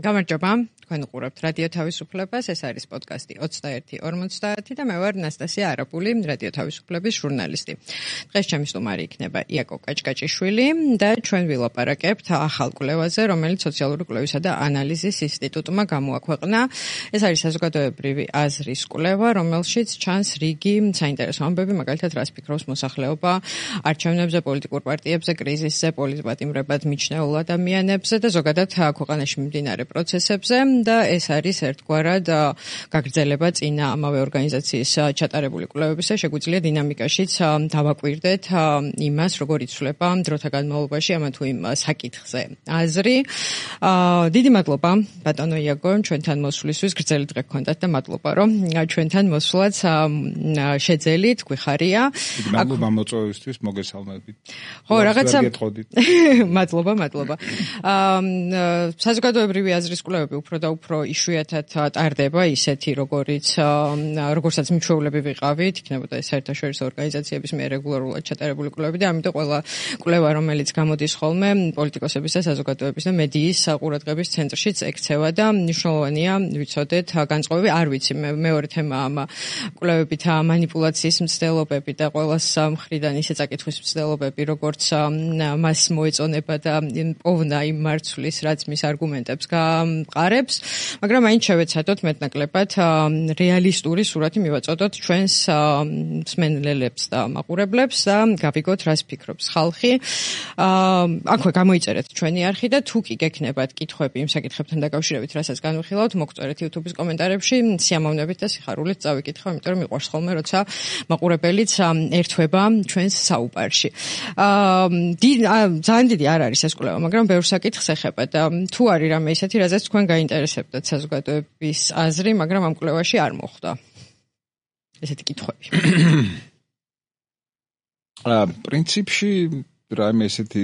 გამარჯობა, თქვენ უყურებთ რადიო თავისუფლებას, ეს არის პოდკასტი 21:50 და მე ვარ ნასტასია არაპული, რადიო თავისუფლების ჟურნალისტი. დღეს ჩემი სტუმარი იქნება იაკო კაჭკაჭიშვილი და ჩვენ ვილაპარაკებთ ახალ კვლევაზე, რომელიც სოციალური კვლევისა და ანალიზის ინსტიტუტმა გამოაქვეყნა. ეს არის საზოგადოებრივი აზრის კვლევა, რომელშიც ჩანს რიგი საინტერესო ამბები, მაგალითად, რას ფიქრობს მოსახლეობა არჩევნებზე, პოლიტიკურ პარტიებზე, კრიზისზე, პოლიტპატიმრებად მიჩნეულ ადამიანებზე და ზოგადად ქვეყანაში მიმდინარე პროცესებზე. და ეს არის ერთგვარად გაგრძელება წინა ამავე ორგანიზაციის ჩატარებული კვლევებისა, შეგვიძლია დინამიკაშიც დავაკვირდეთ იმას, როგორ იცვლება დროთა განმავლობაში ამა თუ იმ საკითხზე აზრი. დიდი მადლობა ბატონო იაკო, ჩვენთან მოსვლისთვის, გრძელი დღე გქონდათ და მადლობა, რომ ჩვენთან მოსვლაც შეძელით, გვიხარია. მადლობა მოწვევისთვის, მოგესალმებით. ხო, რაღაცა მადლობა. საზოგადოებრივი აზრის კვლევები უფრო და უფრო იშვიათად ტარდება, ისეთი როგორცაც მიჩვეულები ვიყავით, იქნებოდა ეს საერთაშორისო ორგანიზაციების მიერ რეგულარულად ჩატარებული კვლევები და ამიტომ ყველა კვლევა, რომელიც გამოდის ხოლმე პოლიტიკოსების და საზოგადოების და მედიის ყურადღების ცენტრშიც ექცევა და მნიშვნელოვანია ვიცოდეთ განწყობები, არ ვიცი, მეორე თემა ამ კვლევებით მანიპულაციის მცდელობები და ყველას მხრიდან ისე წაკითხვის მცდელობები, როგორც მას მოეწონება და პოვნა იმ მარცვლის, რაც მის არგუმენტებს გაყარებს. მაგრამ მაინც შევეცადოთ მეტნაკლებად რეალისტური სურათი მივაწოდოთ ჩვენს მსმენელებს და მაყურებლებს და გავიგოთ, რას ფიქრობს ხალხი. აქვე გამოიწერეთ ჩვენი არხი და თუ კი გექნებათ კითხვები იმ საკითხებთან დაკავშირებით, რასაც განვიხილავთ, მოგწერეთ YouTube-ის კომენტარებში, სიამოვნებით და სიხარულით წავიკითხავ, იმიტომ რომ მიყვარს ხოლმე, როცა მაყურებელიც ერთვება ჩვენს საუბარში. ძალიან დიდი არ არის ეს კვლევა, მაგრამ ბევრ საკითხს ეხება და თუ არის რამე ისეთი, რაზეც თქვენ გაინტერესებდათ საზოგადოების აზრი, მაგრამ ამ კვლევაში არ მოხვდა ესეთი კითხვები. პრინციპში რაიმე ესეთი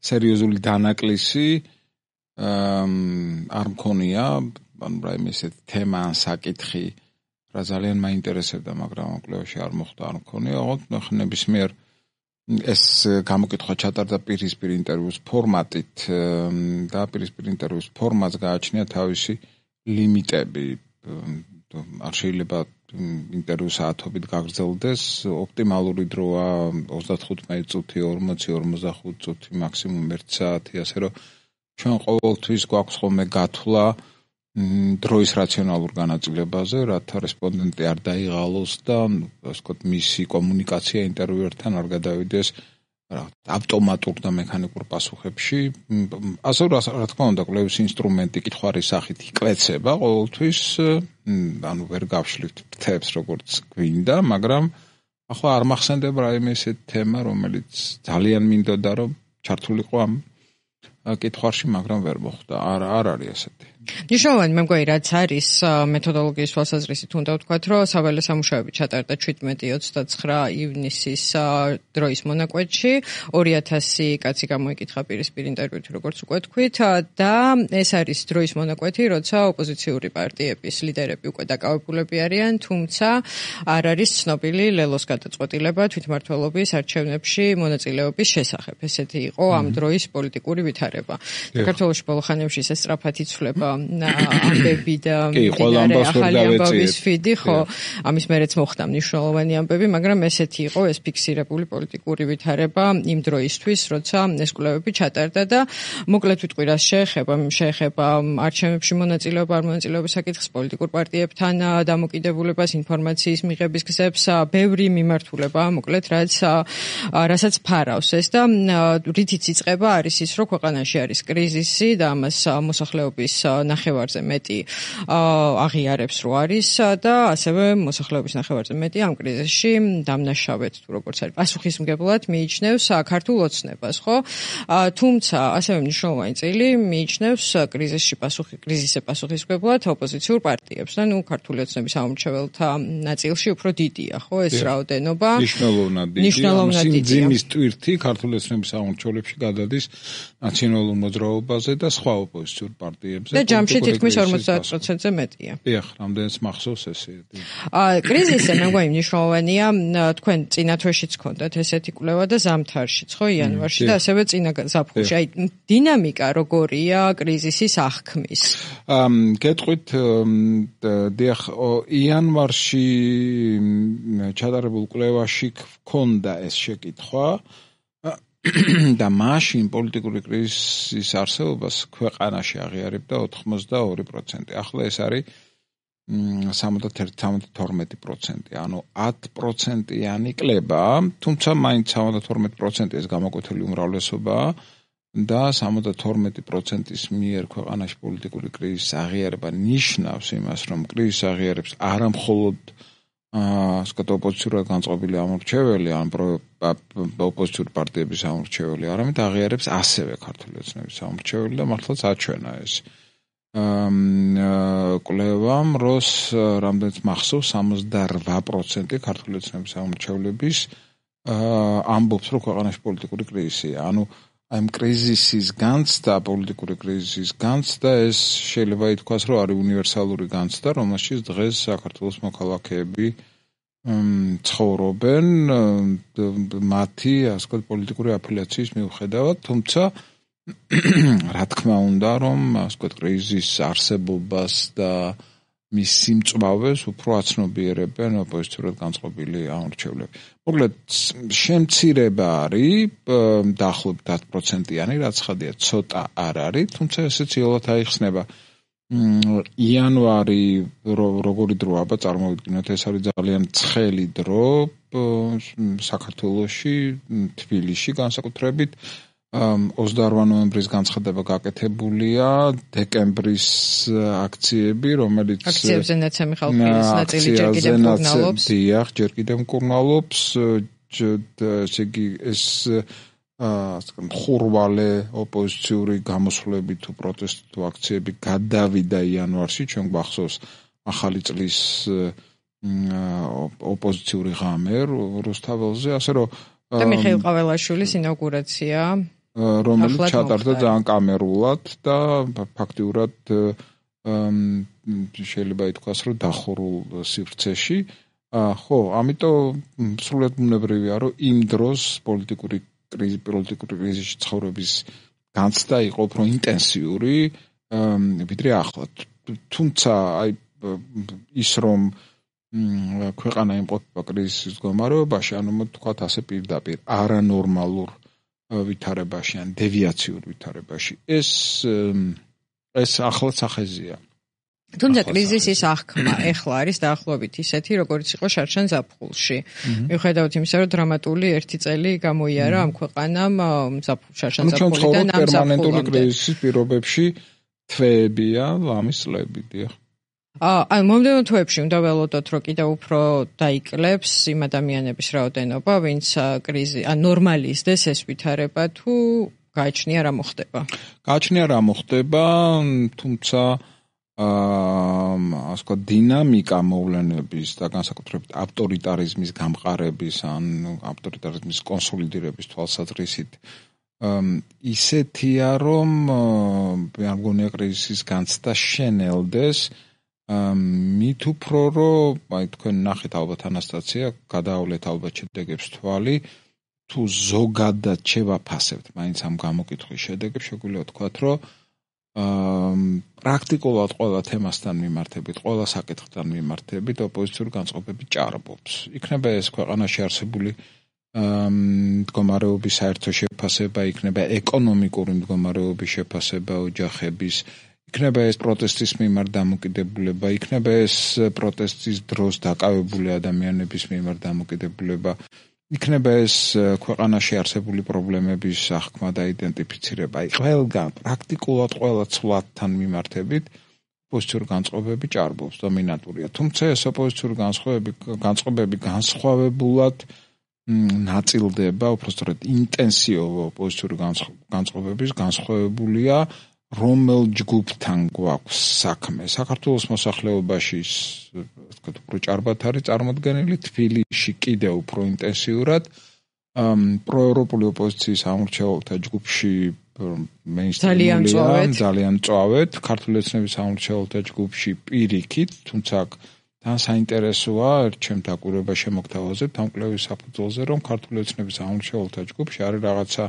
სერიოზული დანაკლისი არ მქონია, ანუ რაიმე ესეთი თემა ან საკითხი, რა ძალიან მაინტერესებდა, მაგრამ ამ კვლევაში არ მოხვდა, არ მქონია. ნებისმიერ ეს გამოკითხვა ჩატარდა პირისპირ ინტერვიუს ფორმატით და პირისპირ ინტერვიუს ფორმატს გააჩნია თავისი ლიმიტები. არ შეიძლება ინტერვიუ საათობით გაგრძელდეს, ოპტიმალური დროა 35 წუთი, 40, 45 წუთი, მაქსიმუმ 1 საათი, ასე რომ ჩვენ ყოველთვის გვაქვს ხოლმე გათვლა დროის რაციონალურ განაწილებაზე, რათა რესპონდენტი არ დაიღალოს და ასე ვთქვათ, მისი კომუნიკაცია ინტერვიუერთან არ გადავიდეს ავტომატურ და მექანიკურ პასუხებში. ასე რა თქმა უნდა, კვლევის ინსტრუმენტი კითხვის სახით იკვეცება ყოველთვის, ანუ ვერ გავშლით ფრთებს როგორც გვინდა, მაგრამ ახლა არ მახსენდება რაიმე ესეთი თემა, რომელიც ძალიან მინდოდა რომ ჩართულიყო ამ კითხვაში, მაგრამ ვერ მოხდა. არ არის ესეთი. ნიშნავენ მე მგონი რაც არის მეთოდოლოგიის თვალსაზრისით უნდა ვთქვათ, რომ საველე სამუშაოები ჩატარდა 17-29 ივნისის დროის მონაკვეთში, 2000 კაცი გამოიკითხა პირისპირ ინტერვიუთი, როგორც უკვე თქვით, და ეს არის დროის მონაკვეთი, როცა ოპოზიციური პარტიების ლიდერები უკვე დაკავებულები არიან, თუმცა არ არის ცნობილი ლელოს გადაწყვეტილება თვითმმართველობის არჩევნებში მონაწილეობის შესახებ. ესეთი იყო ამ დროის პოლიტიკური ვითარება. საქართველოში ბოლო ხანებში ეს სწრაფად იცვლება ამბები და ახალი ამბების ფიდი, ხო, ამის მერეც მოხდა მნიშვნელოვანი ამბები, მაგრამ ესეთი იყო ეს ფიქსირებული პოლიტიკური ვითარება იმ დროისთვის, როცა ეს კვლევები ჩატარდა და მოკლედ ვიტყვი, რას შეეხება არჩევნებში მონაწილეობა, არ მონაწილეობის საკითხს, პოლიტიკურ პარტიებთან დამოკიდებულებას, ინფორმაციის მიღების გზებს, ბევრი მიმართულება, მოკლედ რასაც ფარავს ეს და რითიც იწყება არის ის, რომ ქვეყანაში არის კრიზისი და ამას მოსახლეობის ნახევარზე მეტი აღიარებს, რომ არის და ასევე მოსახლეობის ნახევარზე მეტი ამ კრიზისში დამნაშავედ თუ როგორც არის პასუხისმგებლად მიიჩნევს ქართულ ოცნებას, ხო? თუმცა ასევე მნიშვნელოვანი წილი მიიჩნევს კრიზისზე პასუხისმგებლად ოპოზიციურ პარტიებს და ქართული ოცნების ამომრჩეველთა ნაწილში უფრო დიდია, ხო, ეს რაოდენობა მნიშვნელოვნად დიდია. სიმძიმის ტვირთი ქართული ოცნების ამომრჩევლებში გადადის ნაციონალურ მოძრაობაზე და სხვა ოპოზიციურ პარტიებზე. და ჯამში თითქმის 50%-ზე მეტია. დიახ, რამდენიც მახსოვს ესე. კრიზისი მე მგონი მნიშვნელოვანია, თქვენ წინა თვეშიც გქონდათ ესეთი კვლევა და ზამთარშიც, ხო, იანვარში და ასევე წინა ზაფხულში. აი დინამიკა როგორია კრიზისის აღქმის? გეტყვით, დიახ, იანვარში ჩატარებულ კვლევაში გქონდა ეს შეკითხვა და მაშინ პოლიტიკური კრიზისის არსებობას ქვეყანაში აღიარებდა 82%. ახლა ეს არის 71-72%, ანუ 10%-იანი კლება, თუმცა მაინც 72% ეს გამოკვეთილი უმრავლესობაა და 72%-ის მიერ ქვეყანაში პოლიტიკური კრიზისის აღიარება ნიშნავს იმას, რომ კრიზისს აღიარებს არა მხოლოდ ასეთ ოპოზიციურად განწყობილი ამორჩეველი, ან ოპოზიციური პარტიების ამორჩეველი, არამედ აღიარებს ასევე ქართული ოცნების ამორჩეველი და მართლაც აჩვენა ეს კვლევამ, როს რამდენიც მახსოვს 68% ქართული ოცნების ამორჩევლების ამბობს, რომ ქვეყანაში პოლიტიკური კრიზისია. ანუ აი ამ კრიზისის განცდა, პოლიტიკური კრიზისის განცდა, ეს შეიძლება ითქვას, რომ არის უნივერსალური განცდა, რომელშიც დღეს საქართველოს მოქალაქეები ცხოვრობენ მათი, ასე ვთქვათ, პოლიტიკური აფილიაციის მიუხედავად, თუმცა რა თქმა უნდა, რომ ასე ვთქვათ, კრიზისის არსებობას და მის სიმწვავეს უფრო აცნობიერებენ ოპოზიციურად განწყობილი ამორჩევლები. მოკლედ, შემცირება არის დაახლოებით 10%-იანი, რაც ხადია, ცოტა არ არის, თუმცა ესეც იოლად აიხსნება. იანვარი როგორი დროა, წარმოვიდგინოთ, ეს არის ძალიან ცხელი დრო საქართველოში, თბილისში განსაკუთრებით. 28 ნოემბრის განცხადება გაკეთებულია, დეკემბრის აქციები, რომელიც აქციებზე ნაცემი ხალხის ნაწილი ჯერ კიდევ მკურნალობს. დიახ, ჯერ კიდევ მკურნალობს, ესე იგი ეს ხურვალე ოპოზიციური გამოსვლები თუ პროტესტი თუ აქციები გადავიდა იანვარში, ჩვენ გვახსოვს ახალი წლის ოპოზიციური ღამე რუსთაველზე, ასე რომ და მიხეილ ყაველაშვილის ინაუგურაცია, რომელიც ჩატარდა ძალიან კამერულად და ფაქტიურად შეიძლება ითქვას, რომ დახურულ სივრცეში. ხო, ამიტომ სრულად ბუნებრივია, რომ იმ დროს პოლიტიკური კრიზისში ცხოვრების განცდა იყო უფრო ინტენსიური, ვიდრე ახლა. თუმცა აი ის რომ ქვეყანა იმყოფება კრიზისის მდგომარეობაში, ანუ თქვათ ასე პირდაპირ არანორმალურ ვითარებაში ან დევიაციურ ვითარებაში, ეს ახლა სახეზია. თუმცა კრიზისის აღქმა ეხლა არის დაახლოებით ისეთი, როგორც იყო შარშან ზაფხულში. მიუხედავად იმისა, რომ დრამატული ერთი წელი გამოიარა ამ ქვეყანამ შარშან ზაფხულიდან ამ პერმანენტული კრიზისის პირობებში თვეებია, ლამის წლები, დიახ. აი, მომდევნო თვეებში უნდა ველოდოთ, რომ კიდევ უფრო დაიკლებს იმ ადამიანების რაოდენობა, ვინც ნორმალიზდეს ეს ვითარება, თუ გააჩნია რა მოხდება. გააჩნია რა მოხდება, თუმცა ასე ვთქვათ, დინამიკა მოვლენების და განსაკუთრებით ავტორიტარიზმის გამყარების ან ავტორიტარიზმის კონსოლიდირების თვალსაზრისით ისეთია, რომ მე მგონია კრიზისის განცდა შენელდეს, მით უფრო რომ აი თქვენ ნახეთ ალბათ ანასტაცია, გადაავლეთ ალბათ შედეგებს თვალი, თუ ზოგადად შევაფასებთ მაინც ამ გამოკითხვის შედეგებს, შეგვიძლია ვთქვათ, რომ პრაქტიკულად ყველა თემასთან მიმართებით, ყველა საკითხთან მიმართებით ოპოზიციური განწყობები ჭარბობს. იქნება ეს ქვეყანაში არსებული მდგომარეობის საერთო შეფასება, იქნება ეკონომიკური მდგომარეობის შეფასება ოჯახების, იქნება ეს პროტესტის მიმართ დამოკიდებულება, იქნება ეს პროტესტის დროს დაკავებული ადამიანების მიმართ დამოკიდებულება, იქნება ეს ქვეყანაში არსებული პრობლემების აღქმა და იდენტიფიცირება. აი, ყველგან პრაქტიკულად ყველა ცვლადთან მიმართებით ოპოზიციური განწყობები ჭარბობს, დომინანტურია. თუმცა ეს ოპოზიციური განწყობები განსხვავებულად ნაწილდება, უბრალოდ ინტენსიური ოპოზიციური განწყობების განსხვავებულია, რომელ ჯგუფთან გვაქვს საქმე. საქართველოს მოსახლეობაში ვთქვათ, უფრო ჭარბად არის წარმოდგენილი, თბილისში კიდევ უფრო ინტენსიურად, პროევროპული ოპოზიციის ამორჩეველთა ჯგუფში ძალიან მწვავედ ქართული ოცნების სამმართველთა ჯგუფში პირიქით, თუმცა თან საინტერესოა ჩემ დაკვირვება შემოგთავაზებთ ამ კვლევის საფუძველზე, რომ ქართული ოცნების სამმართველთა ჯგუფში არის რაღაცა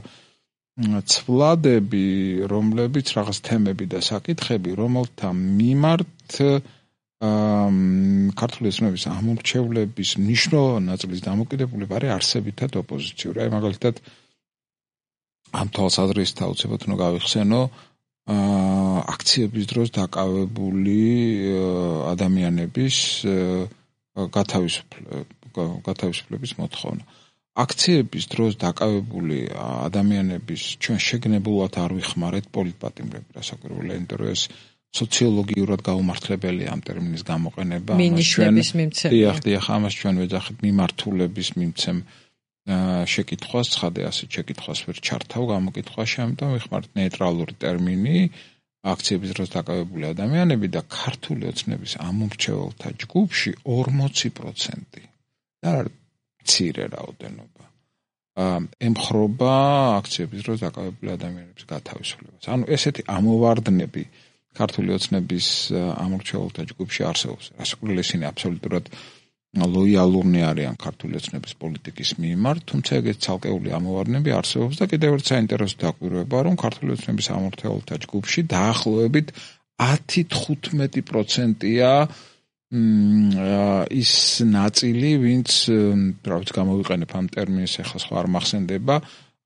ცვლადები, რომლებიც რაღაც თემები და საკითხები, რომელთა მიმართ ქართული ოცნების ამორჩევლების მნიშვნელოვანი ნაწილის დამოკიდებულება არის არსებითად ოპოზიციური. აი მაგალითად ამ თვალსაზრისით აუცილებლად უნდა გავიხსენო აქციების დროს დაკავებული ადამიანების გათავისუფლების მოთხოვნა. აქციების დროს დაკავებული ადამიანების ჩვენ შეგნებულად არ ვიხმარეთ პოლიტპატიმრები, რასაკვირველია, იმიტომ რომ ეს სოციოლოგიურად გაუმართლებელია ამ ტერმინის გამოყენება. მინიშნების მიმცემია. დიახ, ამას ჩვენ ვეძახით მიმართულების მიმცემ შეკითხვას, ცხადე ასეთ შეკითხვას ვერ ჩართავ გამოკითხვაში, ამიტომ ვიხმართ ნეიტრალური ტერმინი აქციების დროს დაკავებული ადამიანები და ქართული ოცნების ამომრჩეველთა ჯგუფში 40% და მცირე რაოდენობა ემხრობა აქციების დროს დაკავებული ადამიანების გათავისუფლებას. ანუ ესეთი ამოვარდნები ქართული ოცნების ამორჩეველთა ჯგუფში არსებობს. რასაკვირველია, ისინი აბსოლუტურად ლოიალურნი არიან ქართული ოცნების პოლიტიკის მიმართ, თუმცა ეგეთი ცალკეული ამოვარდნები არსებობს და კიდევ ერთ საინტერესო დაკვირვება, რომ ქართული ოცნების ამორჩეველთა ჯგუფში დაახლოებით 10-15%-ია ის ნაწილი, ვინც რაც გამოვიყენებ ამ ტერმინს, ახლა სხვა არ მახსენდება,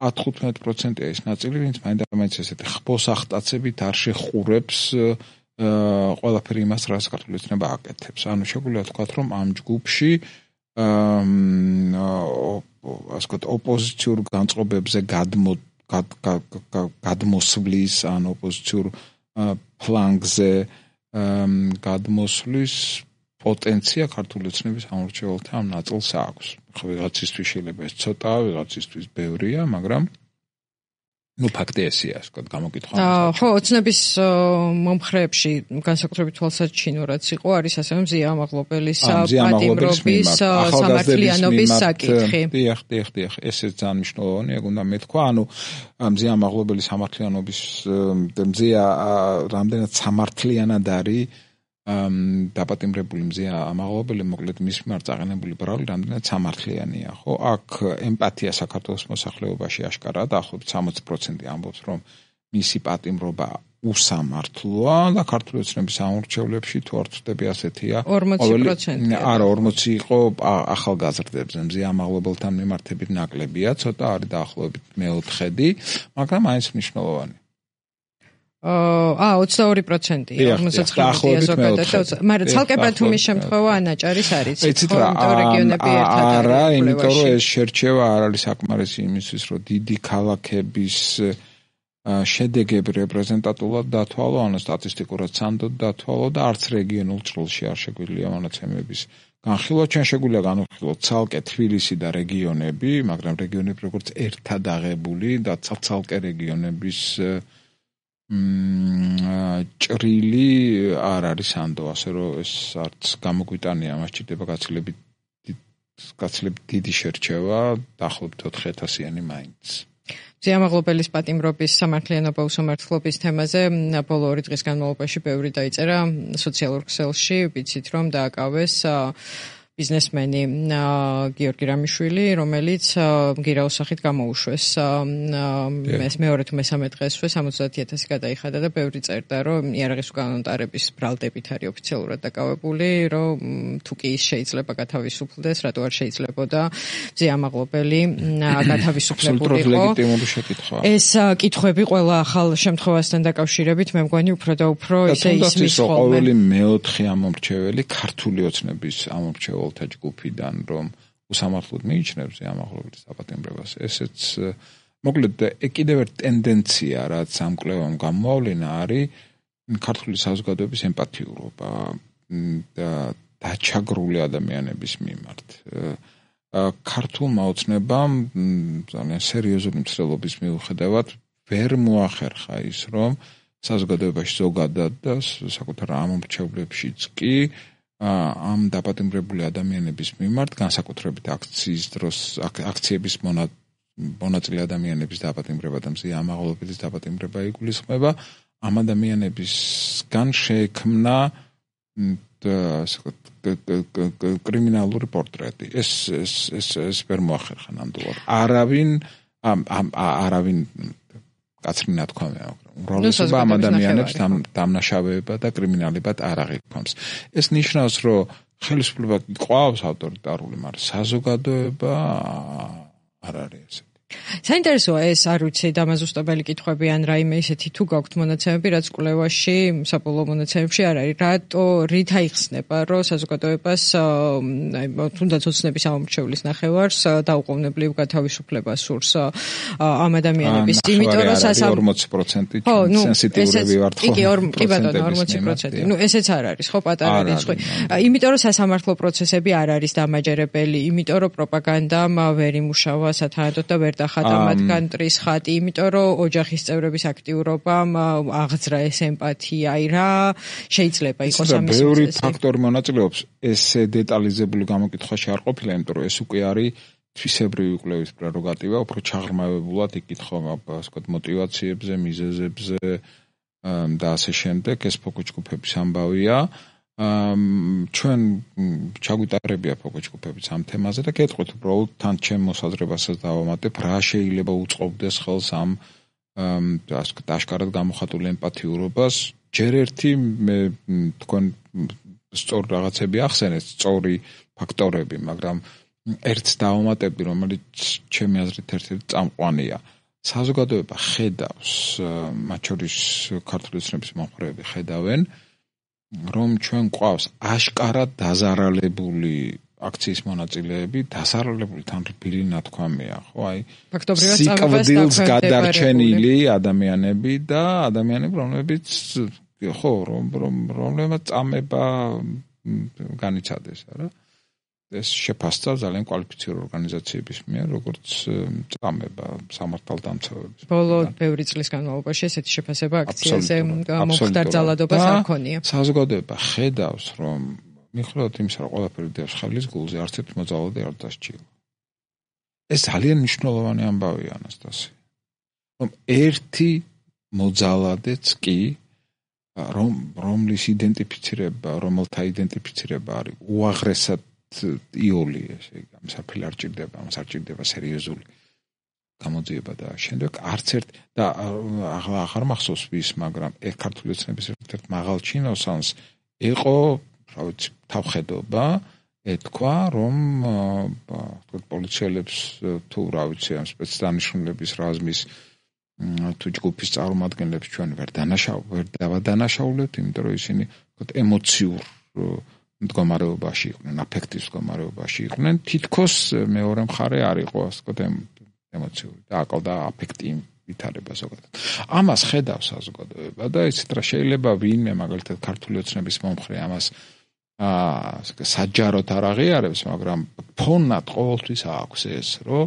10-15%-ია ის ნაწილი, ვინც მაინც ესეთი ხბოს ახტაცებით არ შეხურებს ყველაფერი იმას, რაც ქართული ოცნება აკეთებს. ანუ შეგვიძლია ვთქვათ, რომ ამ ჯგუფში ასე ვთქვათ, ოპოზიციურ განწყობებზე გადმოსვლის, ან ოპოზიციურ ფლანგზე გადმოსვლის პოტენცია ქართული ოცნების ამორჩეველთა ამ ნაწილს აქვს. ხო, ვიღაცისთვის შეიძლება ეს ცოტაა, ვიღაცისთვის ბევრია, მაგრამ ფაქტი ესეა, ასე ვთქვათ, გამოკითხვა. ხო, ოცნების მომხრეებში განსაკუთრებით თვალსაჩინო რაც იყო, არის ასევე მზია ამაღლობელის პატიმრობის სამართლიანობის საკითხი. დიახ, ესეც ძალიან მნიშვნელოვანია, ეგ უნდა მეთქვა, ანუ მზია ამაღლობელის სამართლიანობის მზია რამდენად სამართლიანად არის დაპატიმრებული მზია ამაღლობელი, მოკლედ მის მიმართ წაყენებული ბრალი რამდენად სამართლიანია, ხო? აქ ემპათია საქართველოს მოსახლეობაში აშკარაა, დაახლოებით 60% ამბობს, რომ მისი პატიმრობა უსამართლოა და ქართული ოცნების ამორჩევლებში თუ არ ვწდები ასეთია 40%. არა, 40 იყო ახალგაზრდებზე, მზია ამაღლობელთან მიმართებით ნაკლებია, ცოტა არის დაახლოებით მეოთხედი, მაგრამ აიც მნიშვნელოვანი. 22%-ია 59-ია ზოგადად, მაგრამ ცალკე თუმის შემთხვევა ანაჭარის არის, ხო, რეგიონები ერთად არა, იმიტომ რომ ეს შერჩევა არ არის საკმარისი იმისთვის, რომ დიდი ქალაქების შედეგები რეპრეზენტატულად დათვალო, ანუ სტატისტიკურად სანდოდ დათვალო და არც რეგიონულ ჭრილში არ შეგვიძლია მონაცემების განხილვა. ჩვენ შეგვიძლია განვიხილოთ ცალკე თბილისი და რეგიონები, მაგრამ რეგიონები როგორც ერთად აღებული და ცალკე რეგიონების ჭრილი არ არის ანდო, ასე რომ ეს არც გამოგვიტანია, მას ჭირდება გაცილებით დიდი შერჩევა, დაახლოებით 4000-იანი მაინც. მზია ამაღლობელის პატიმრობის სამართლიანობა უსამართლობის თემაზე ბოლო 2 დღის განმავლობაში ბევრი დაიწერა სოციალურ ქსელში, ვიცით რომ დააკავეს ბიზნესმენი გიორგი რამიშვილი, რომელიც გირაოსახით გამოუშვეს მეორე თუ მესამე დღესვე 70,000 გადაიხადა და ბევრი წერდა, რომ იარაღის უკანონტარების ბრალდებით არის ოფიციალურად დაკავებული, რომ თუ კი ის შეიძლება გათავისუფლდეს, რატო არ შეიძლებოდა მზია ამაღლობელი გათავისუფლებულიყო. ეს კითხვები ყველა ახალ შემთხვევასთან დაკავშირებით მე მგონი უფრო და უფრო ისე ისმის ხოლმე. ყოველი მეოთხე ამომრჩეველი ქართული ოცნების ამომრჩეველი ჯგუფიდან რომ უსამართლოდ მიიჩნევს ამაღლობელის დაპატიმრებას. ესეც მოკლედ კიდევ ერთ ტენდენცია, რაც ამ კვლევამ გამოავლინა, არის ქართული საზოგადოების ემპათიურობა და დაჩაგრული ადამიანების მიმართ. ქართულმა ოცნებამ ძალიან სერიოზული მცდელობის მიუხედავად ვერ მოახერხა ის, რომ საზოგადოებაში ზოგადად და საკუთარ ამომრჩევლებშიც კი ამ დაპატიმრებული ადამიანების მიმართ განსაკუთრებით აქციების მონაწილე ადამიანების დაპატიმრება და მზია ამაღლობების დაპატიმრება იგულისხმება, ამ ადამიანებისგან შეექმნა კრიმინალური პორტრეტი. ეს ვერ მოახერხა ნამდვილად. არავინ კაცრინა თქვა, უმრავლესობა ამ ადამიანებს დამნაშავეება და კრიმინალებად არ აღიქვამს. ეს ნიშნავს, რომ ხელისუფლება ყავს ავტორიტარული, მაგრამ საზოგადოება არ არის ესეთი. საინტერესოა ეს, არ ვიცი, დამაზუსტებელი კითხვები ან რაიმე ისეთი თუ გაქვთ მონაცემები, რაც კვლევაში, საბოლოო მონაცემებში არ არის. რით აიხსნება, რომ საზოგადოებას თუნდაც ოცნების ამომრჩევლის ნახევარს დაუყოვნებლივ გათავისუფლება სურს ამ ადამიანების, იმიტომ რომ 40% სენსიტიურები ვართ ხო? კი ბატონო, 40%. ესეც არ არის, ხო, პატარა რიცხვი. იმიტომ რომ სასამართლო პროცესები არ არის დამაჯერებელი, იმიტომ რომ პროპაგანდამ ვერ იმუშავა სათანადოდ და ვერ ხატა მათგან ტრის ხატი, იმიტომ რომ ოჯახის წევრების აქტიურობამ აღძრა ეს ემპათია, რა შეიძლება იყოს ამის მიზეზი. ბევრი ფაქტორი მონაწილეობს, ეს დეტალიზებული გამოკითხვაში არ ყოფილა, იმიტომ რომ ეს უკვე არის თვისებრივი კვლევის პრეროგატივა, უფრო ჩაღრმავებულად იკითხება, ასე ვთქვათ, мотиваციებზე, მიზეზებზე და ასე შემდეგ, ეს ფოკუს-ჯგუფების ამბავია. ჩვენ ჩაგვიტარებია ფოკუს-ჯგუფებიც ამ თემაზე და გეტყვით უბრალოდ თან ჩემ მოსაზრებასაც დავამატებ, რა შეიძლება უწყობდეს ხელს ამ ასე ვთქვათ, აშკარად გამოხატულ ემპათიურობას. ჯერ ერთი მე თქვენ სწორ რაღაცები ახსენეთ, სწორი ფაქტორები, მაგრამ ერთს დავამატებდი, რომელიც ჩემი აზრით ერთ-ერთი წამყვანია. საზოგადოება ხედავს, მათ შორის ქართული ოცნების მომხრეები ხედავენ, რომ ჩვენ გვყავს აშკარად დაზარალებული აქციის მონაწილეები, დაზარალებული თან რბილი ნათქვამია, ხო, აი სიკვდილს გადარჩენილი ადამიანები და ადამიანები, რომლებიც ხო, რომლებმაც წამება განიცადეს, არა? ეს შეფასდა ძალიან კვალიფიციური ორგანიზაციების მიერ, როგორც წამება სამართალდამცავების. ბოლო ბევრი წლის განმავლობაში ესეთი შეფასება აქციაზე მომხდარ ძალადობას არ ქონია. საზოგადოება ხედავს, რომ მიუხედავად იმისა, რომ ყველაფერი დევს ხელის გულზე, არც ერთ მოძალადე არ დასჭირდა. ეს ძალიან მნიშვნელოვანი ამბავია, ანასტასი. რომ ერთი მოძალადეც კი რომლის იდენტიფიცირება, რომელთა იდენტიფიცირება არის უაღრესად იოლი, ესე იგი, საფრთხე არ ჭირდება, მას არ ჭირდება სერიოზული გამოძიება და შემდეგ არც ერთ და აღარ მახსოვს ვის, მაგრამ ქართული ოცნების ერთ-ერთ მაღალ ჩინოსანს იყო, რა ვიცი, თავხედობა, ეთქვა, რომ ვთქვათ, პოლიციელებს თუ რა ვიცი, ამ სპეცდანიშნულების რაზმის თუ ჯგუფის წარმომადგენლებს ჩვენ ვერ დავადანაშაულებთ, იმიტომ რომ ისინი ვთქვათ, ემოციურ მდგომარეობაში იყვნენ, აფექტის მდგომარეობაში იყვნენ, თითქოს მეორე მხარე არ იყო, ასე ვთქვათ, ემოციური და აკლდა აფექტი ვითარება ზოგადად. ამას ხედავს საზოგადოება და იცით რა, შეიძლება ვინმე მაგალითად ქართული ოცნების მომხრე ამას საჯაროდ არ აღიარებს, მაგრამ ფონად ყოველთვის აქვს ეს, რომ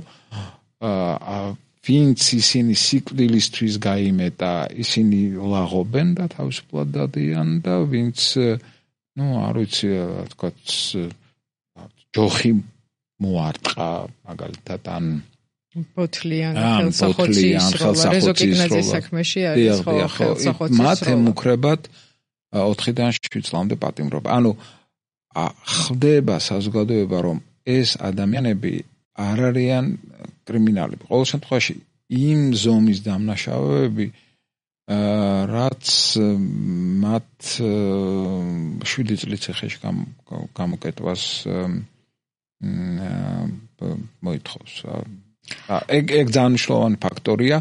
ვინც ისინი სიკვდილისთვის გაიმეტა, ისინი ლაღობენ და თავისუფლად დადიან და ვინც არ ვიცი, თქვათ, ჯოხი მოარტყა, მაგალითად, ან ბოთლიან ხელსახოცის რეზოკიგნაძის საქმეში არის ხო ხელსახოცის მათ ემუქრებათ 4-დან 7 წლამდე პატიმრობა. ანუ ხდება საზოგადოება, რომ ეს ადამიანები არ არიან კრიმინალები. ყოველ შემთხვევაში იმ ზომის დამნაშავეები, რაც მათ 7 წლის ციხეში გამოკეტვას მოითხოვს. ეგ ძალიან მნიშვნელოვანი ფაქტორია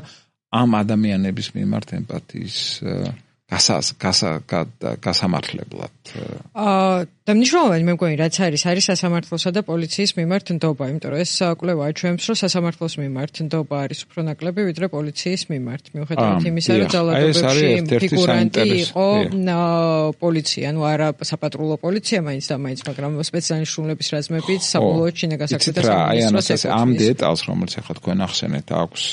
ამ ადამიანების მიმართ ემპათიის გასამართლებლად. და მნიშვნელოვანი მე მგონი რაც არის სასამართლოსა და პოლიციის მიმართ ნდობა, იმიტომ რომ ეს კვლევა აჩვენებს, რომ სასამართლოს მიმართ ნდობა არის უფრო ნაკლები, ვიდრე პოლიციის მიმართ. მიუხედავად იმისა, რომ ძალადობებში ფიგურანტი იყო პოლიცია, ანუ არა საპატრულო პოლიცია მაინც და მაინც, მაგრამ სპეციალისტების რაზმებიც საბოლოოდ შინაგან საქმეთა სამინისტროს ამ დეტალს, რომელიც ახლა თქვენ ახსენეთ, აქვს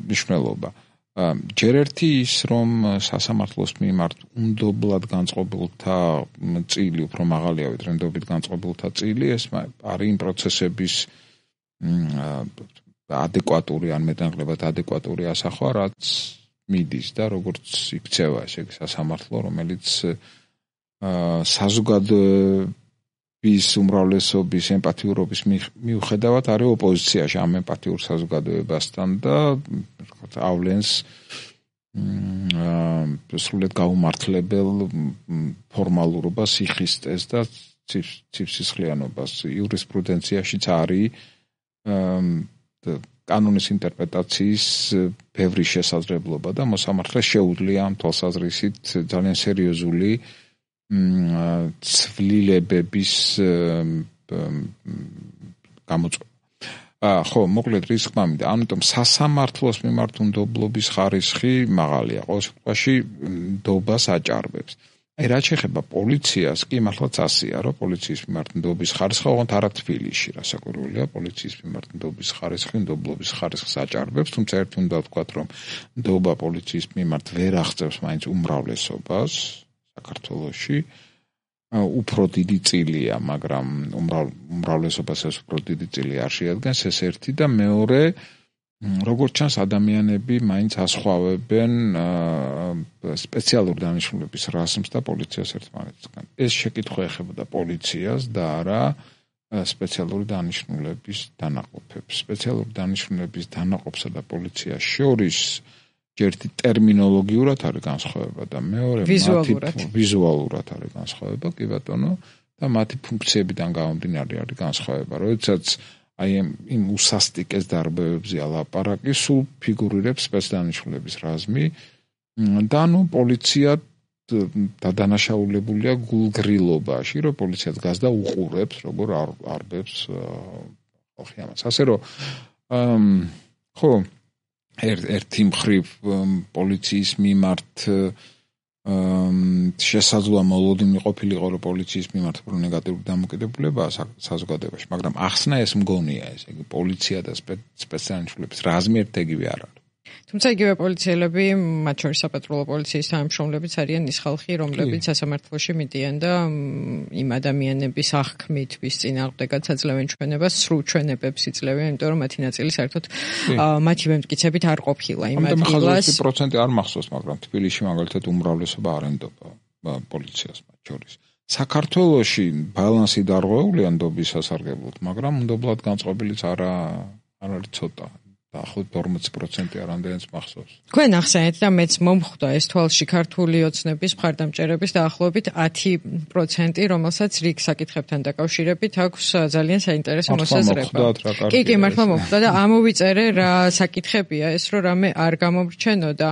მნიშვნელობა. ჯერ ერთი ის, რომ სასამართლოს მიმართ უნდობლად განწყობილთა წილი უფრო მაღალია, ვიდრე ნდობით განწყობილთა წილი, ეს არის იმ პროცესების ადეკვატური ან მეტნაკლებად ადეკვატური ასახვა, რაც მიდის და როგორც იქცევა ესე იგი სასამართლო, რომელიც საზოგადოების უმრავლესობის ემპათიურობის მიუხედავად არის ოპოზიციაში ამ ემპათიურ საზოგადოებასთან და ავლენს სრულიად გაუმართლებელ ფორმალურობას, სიხისტეს და ცივსისხლიანობას. იურისპრუდენციაშიც არის კანონის ინტერპრეტაციის ბევრი შესაძლებლობა და მოსამართლეს შეუძლია ამ თვალსაზრისით ძალიან სერიოზული ცვლილებების გამოწვევა. ხო, მოკლედ რის ხმა მინდა. ამიტომ სასამართლოს მიმართ უნდობლობის ხარისხი მაღალია. ყოველ შემთხვევაში ნდობას აჭარბებს. რაც შეეხება პოლიციას, კი მართლაც ასეა, რომ პოლიციის მიმართ ნდობის ხარისხი ოღონდ არა თბილისში, რასაკვირველია, პოლიციის მიმართ ნდობის ხარისხი, ნდობლობის ხარისხს აჭარბებს, თუმცა ერთი უნდა ვთქვათ, რომ ნდობა პოლიციის მიმართ ვერ აღწევს მაინც უმრავლესობას საქართველოში. უფრო დიდი წილია, მაგრამ უმრავლესობას ეს უფრო დიდი წილი არ შეადგენს, ეს ერთი და მეორე, როგორც ჩანს, ადამიანები მაინც ასხვავებენ სპეციალურ დანიშნულების რაზმს და პოლიციას ერთმანეთისგან. ეს შეკითხვა ეხებოდა პოლიციას და არა სპეციალური დანიშნულების დანაყოფებს. სპეციალური დანიშნულების დანაყოფსა და პოლიციას შორის ერთი ტერმინოლოგიურად არის განსხვავება და მეორე ვიზუალურად არის განსხვავება, კი ბატონო, და მათი ფუნქციებიდან გამომდინარე არის განსხვავება. როდესაც აი იმ უსასტიკეს დარბევებზე ალაპარაკი, სულ ფიგურირებს სპეცდანიშნულების რაზმი და ნუ პოლიცია დადანაშაულებულია გულგრილობაში, რომ პოლიცია დგას და უყურებს, როგორ არბებს ხალხი ამას. ასე რომ ხო ერთი მხრივ პოლიციის მიმართ შესაძლოა მოლოდინი ყოფილიყო, რომ პოლიციის მიმართ უფრო ნეგატიური დამოკიდებულებაა საზოგადოებაში, მაგრამ ახსნა ეს მგონია, ესე იგი პოლიცია და სპეციალისტების რაზმი ერთეგივე არ არის. თუმცა იგივე პოლიციელები, მათ შორის საპატრულო პოლიციის თანამშრომლებიც არიან ის ხალხი, რომლებიც სასამართლოში მიდიან და იმ ადამიანების აღქმით, ვის წინააღმდეგაც აძლევენ ჩვენებას, სრულ ჩვენებებს იძლევენ, იმიტომ რომ მათი ნაწილი საერთოდ მათი მემტკიცებით არ ყოფილა იმ ადგილას. 100% არ მახსოვს, მაგრამ თბილისში მაგალითად უმრავლესობა არ ენდობა პოლიციას მათ შორის. საქართველოში ბალანსი დარღვეულია ნდობის სასარგებლოდ, მაგრამ ნდობლად განწყობილიც არ არის ცოტა. დაახლოებით 40% არამდენიც მახსოვს. თქვენ ახსენეთ და მეც მომხვდა ეს თვალში ქართული ოცნების მხარდამჭერების დაახლოებით 10%, რომელსაც რიგ საკითხებთან დაკავშირებით აქვს ძალიან საინტერესო მოსაზრება. კი, მართლა მომხვდა და ამოვიწერე რა საკითხებია ეს, რომ რამე არ გამომრჩენო და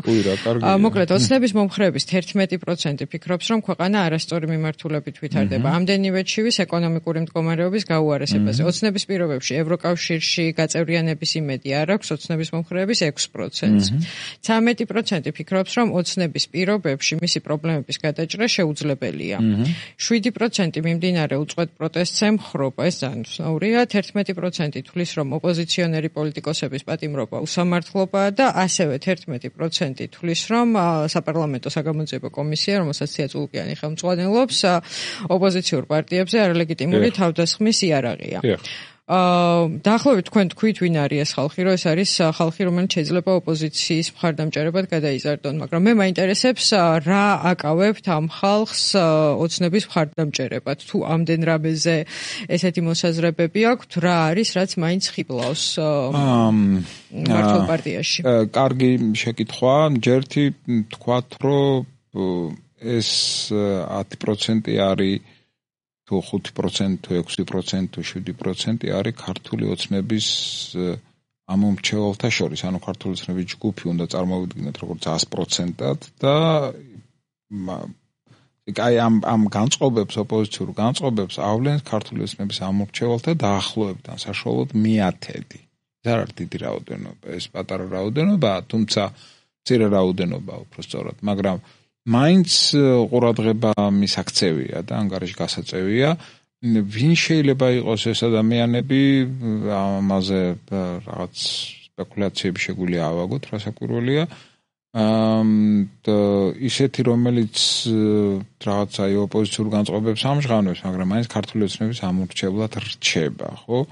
მოკლედ ოცნების მომხრეების 11% ფიქრობს, რომ ქვეყანა არასწორი მიმართულებით ვითარდება. ამდენივე ჩივის ეკონომიკური მდგომარეობის გაუარესებაზე. ოცნების პირობებში ევროკავშირში გაწევრიანების იმედი არ აქვს. ოცნების მომხრეების 6%. 13% ფიქრობს, რომ ოცნების პირობებში მისი პრობლემების გადაჭრა შეუძლებელია. 7% მიმდინარე უწყვეტ პროტესტს ემხრობა, ეს ძალიან უცნაურია. 11% თვლის, რომ ოპოზიციონერი პოლიტიკოსების პატიმრობა უსამართლობაა და ასევე 11% თვლის, რომ საპარლამენტო საგამოძიებო კომისია, რომელსაც ცია წულკიანი ხელმძღვანელობს, ოპოზიციურ პარტიებზე არალეგიტიმური თავდასხმის იარაღია. დაახლოებით თქვენ თქვით, ვინ არის ეს ხალხი, რომ ეს არის ხალხი, რომელიც შეიძლება ოპოზიციის მხარდამჭერებად გადაიზარდონ, მაგრამ მე მაინტერესებს რა აკავებთ ამ ხალხს ოცნების მხარდამჭერებად, თუ ამდენ რამეზე ესეთი მოსაზრებები აქვთ, რა არის, რაც მაინც ხიბლავს მართლ პარტიაში. კარგი შეკითხვა, ჯერთი თქვათ, რომ ეს 10% არის თუ 5%, თუ 6%, თუ 7% არის ქართული ოცნების ამომრჩეველთა შორის, ანუ ქართული ოცნების ჯგუფი უნდა წარმოვიდგინოთ როგორც 100%-ად და აი ამ განწყობებს, ოპოზიციურ განწყობებს ავლენს ქართული ოცნების ამომრჩეველთა დაახლოებიდან საშუალოდ 1/10. ეს არ არის დიდი რაოდენობა, ეს პატარა რაოდენობაა, თუმცა მცირე რაოდენობაა უბრალოდ, მაგრამ მაინც ყურადღება მისაქცევია და ანგარიში გასაწევია. ვინ შეიძლება იყოს ეს ადამიანები, ამაზე რაღაც სპეკულაციები შეგვიძლია ავაგოთ, რასაკვირველია. ისეთი, რომელიც რაღაც აი ოპოზიციურ განწყობებს ამჟღავნებს, მაგრამ მაინც ქართული ოცნების ამორჩევლად რჩება, ხო?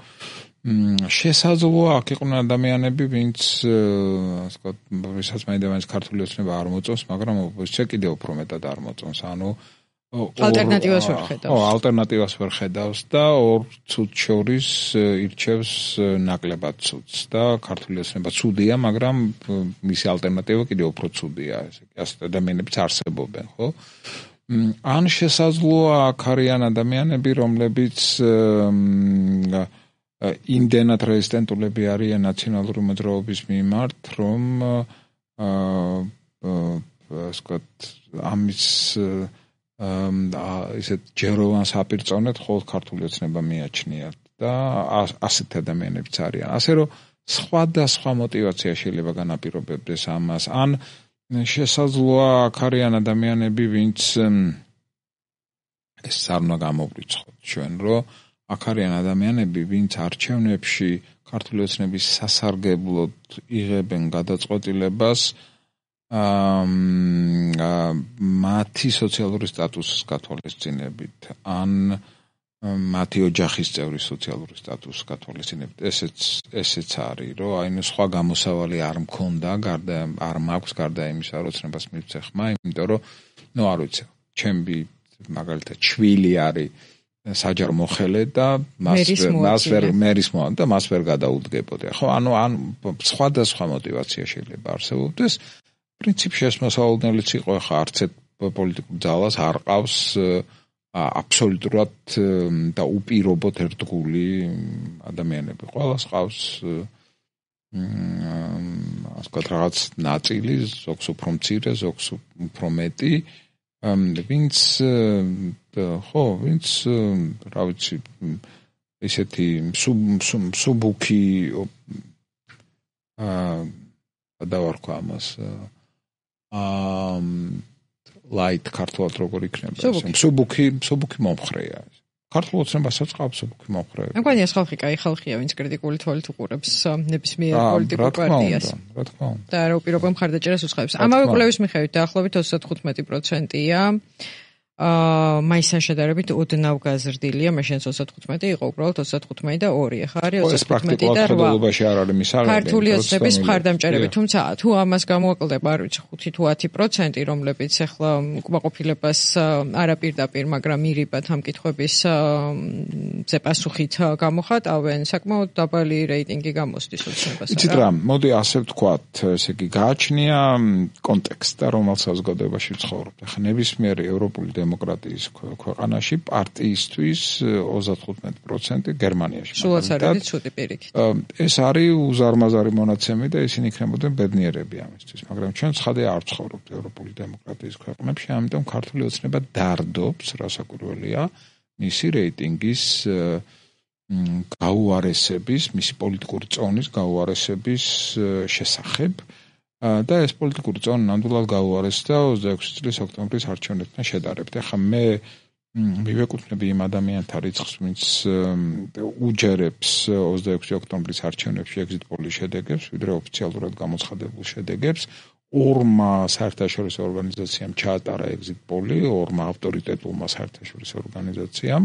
შესაძლოა აქ იყვნენ ადამიანები, ვინც ასე ვთქვათ, ვისაც მაინდა-მაინც ქართული ოცნება არ მოწონს, მაგრამ ოპოზიცია კიდევ უფრო მეტად არ მოწონს. ანუ ალტერნატივას ვერ ხედავს. ალტერნატივას ვერ ხედავს და ორ ცუდ შორის ირჩევს ნაკლებად ცუდს და ქართული ოცნება ცუდია, მაგრამ მისი ალტერნატივა კიდევ უფრო ცუდია, ესე იგი, ასეთ ადამიანებიც არსებობენ, ხო? ან შესაძლოა აქ არიან ადამიანები, რომლებიც იმდენად რეზისტენტულები არიან ნაციონალური მოძრაობის მიმართ, რომ ასე ვთქვათ, ამის ისეთ ჯეროვან საპირწონედ მხოლოდ ქართული ოცნება მიაჩნიათ და ასეთ ადამიანებიც არიან. ასე რომ სხვადასხვა мотиваცია შეიძლება განაპირობებდეს ამას. ან შესაძლოა აქ არიან ადამიანები, ვინც ეს არ უნდა გამოვრიცხოთ ჩვენ, რომ აქ არიან ადამიანები, ვინც არჩევნებში ქართული ოცნების სასარგებლოდ იღებენ გადაწყვეტილებას მათი სოციალური სტატუსის გათვალისწინებით, ან მათი ოჯახის წევრის სოციალური სტატუსის გათვალისწინებით. ესეც არის, რომ აი სხვა გამოსავალი არ მქონდა, არ მაქვს გარდა იმისა, რომ ოცნებას მივცე ხმა, იმიტომ რომ არ ვიცი, ჩემი მაგალითად შვილი არის საჯარო მოხელე და მას ვერ გადაუდგებოდი. ხო, ანუ სხვადასხვა мотиваცია შეიძლება არსებობდეს. პრინციპში ეს მოსავალნელიც იყო, ხა არცეთ პოლიტიკურ ძალას არ ყავს აბსოლუტურად და უპირობოდ ერთგული ადამიანები. ყველას ყავს ასე ვთქვათ, რაღაც ნაწილი, ზოგს უფრო მცირე, ზოგს უფრო მეტი, ვინც რა ვიცი, ისეთი მსუბუქი დავარქვა ამას light ქართულად როგორ იქნება ეს მსუბუქი მომხრეა. ქართულ ოცნებასაც ყავს მსუბუქი მომხრე. მგონია ეს ხალხი კაი ხალხია, ვინც კრიტიკული თვალით უყურებს ნებისმიერ პოლიტიკურ პარტიას. რა თქმა უნდა. და რა უპირობო მხარდაჭერას უცხოებს. ამავე კვლევის მიხედვით დაახლოებით 35%-ია მაისთან შედარებით ოდნავ გაზრდილია, მაშინ 35 იყო უბრალოდ 35 და 2, ხა არის 35 და 8. ხედულობაში არ არის მისაღები. ქართული ოცნების მხარდამჭერები, თუმცა თუ ამას გამოაკლდება, არ ვიცი, 5 თუ 10%, რომლებიც ახლა უკმაყოფილებას არაპირდაპირ, მაგრამ მირიბად ამ კითხვების პასუხით გამოხატავენ, საკმაოდ დაბალი რეიტინგი გამოსდის ოცნებას. იცით რა, მოდი ასე ვთქვათ, ესე იგი, გააჩნია კონტექსტი და რომელ საზოგადოებაში ვცხოვრობთ. ახლა ნებისმიერ ევროპული დემოკრატიის ქვეყანაში პარტიისთვის 35% გერმანიაში. სულაც არის ცუდი პირიქით. ეს არის უზარმაზარი მონაცემი და ისინი იქნებოდნენ ბედნიერები ამისთვის, მაგრამ ჩვენ ცხადია არ ვცხოვრობთ ევროპული დემოკრატიის ქვეყნებში, ამიტომ ქართული ოცნება დარდობს, რასაკვირველია, მისი რეიტინგის გაუარესების, მისი პოლიტიკური წონის გაუარესების შესახებ. და ეს პოლიტიკური წონი ნამდვილად გაუარესდა 26 წლის ოქტომბრის არჩევნებთან შედარებით. ახლა მე მივეკუთვნები იმ ადამიანთა რიცხვს, ვინც უჯერებს 26 ოქტომბრის არჩევნებში exit poll-ის შედეგებს, ვიდრე ოფიციალურად გამოცხადებულ შედეგებს. ორმა საერთაშორისო ორგანიზაციამ ჩაატარა exit poll-ი, ორმა ავტორიტეტულმა საერთაშორისო ორგანიზაციამ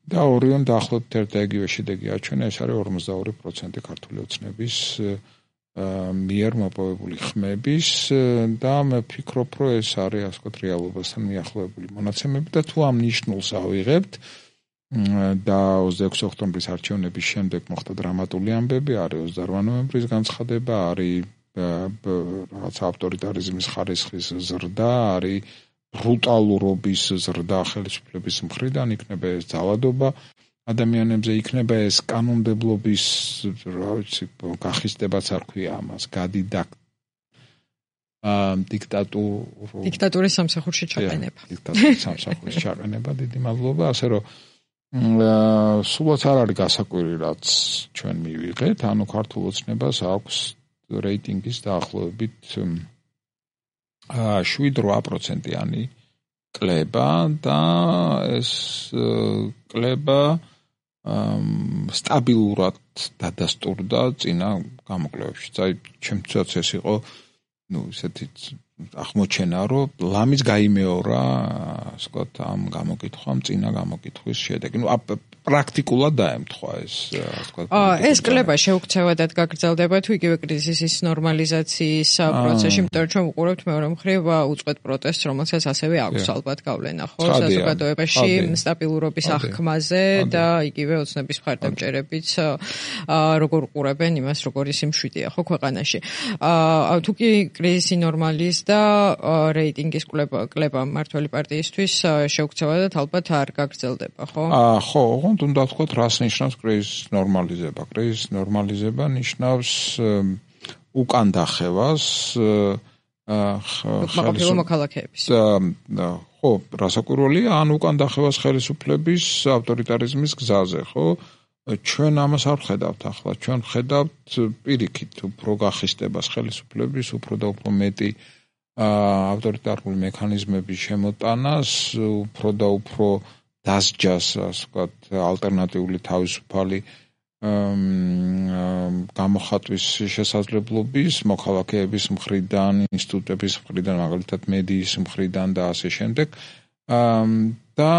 და ორიონ დაახლოებით ერთ და იგივე შედეგი აჩვენა, ეს არის 52% ქართული ოცნების მიერ მოპოვებული ხმების და მე ვფიქრობ, რომ ეს არის ასე ვთქვათ რეალობასთან მიახლოებული მონაცემები და თუ ამ ნიშნულს ავიღებთ და 26 ოქტომბრის არჩევნების შემდეგ მოხდა დრამატული ამბები, არის 28 ნოემბრის განცხადება, არის რაღაც ავტორიტარიზმის ხარისხის ზრდა, არის ბრუტალურობის ზრდა ხელისუფლების მხრიდან, იქნება ეს ძალადობა ადამიანებზე, იქნება ეს კანონმდებლობის, რა ვიცი, გახისტებაც არ ქვია ამას, დიქტატურის სამსახურში ჩაყენება. დიქტატურის სამსახურში ჩაყენება, დიდი მადლობა, ასე რომ სულაც არ არის გასაკვირი, რაც ჩვენ მივიღეთ, ანუ ქართულ ოცნებას აქვს რეიტინგის დაახლოებით 7-8%-იანი კლება და ეს კლება სტაბილურად დადასტურდა წინა გამოკვლევებში. აი, ჩემთვისაც ეს იყო, ისეთი აღმოჩენა, რომ ლამის გაიმეორა, ასე ვთქვათ, ამ გამოკითხვამ წინა გამოკითხვის შედეგი. პრაქტიკულად დაემთხვა ეს, ასე ვთქვათ. ეს კლება შეუქცევადად გაგრძელდება თუ იგივე კრიზისის ნორმალიზაციის პროცესში, იმიტომ რომ ჩვენ ვუყურებთ მეორე მხრივ უწყვეტ პროტესტს, რომელსაც ასევე აქვს ალბათ გავლენა, ხო, საზოგადოებაში სტაბილურობის აღქმაზე და იგივე ოცნების მხარდამჭერებიც როგორ უყურებენ იმას, როგორ ის მშვიდია, ხო, ქვეყანაში. თუ კი კრიზისი ნორმალიზდა, რეიტინგის კლება მმართველი პარტიისთვის შეუქცევადად ალბათ არ გაგრძელდება, ხო? ხო, უნდა ვთქვათ, რას ნიშნავს კრიზისის ნორმალიზება. კრიზისის ნორმალიზება ნიშნავს უკან დახევას მაყოფილო მოქალაქეების. ხო, რასაკვირველია, ან უკან დახევას ხელისუფლების ავტორიტარიზმის გზაზე, ხო? ჩვენ ამას არ ვხედავთ ახლა. ჩვენ ვხედავთ პირიქით უფრო გახისტებას ხელისუფლების, უფრო და უფრო მეტი ავტორიტარული მექანიზმების შემოტანას, უფრო და უფრო დასჯას, ასე ვთქვათ, ალტერნატიული თავისუფალი გამოხატვის შესაძლებლობის, მოქალაქეების მხრიდან, ინსტიტუტების მხრიდან, მაგალითად მედიის მხრიდან და ასე შემდეგ. და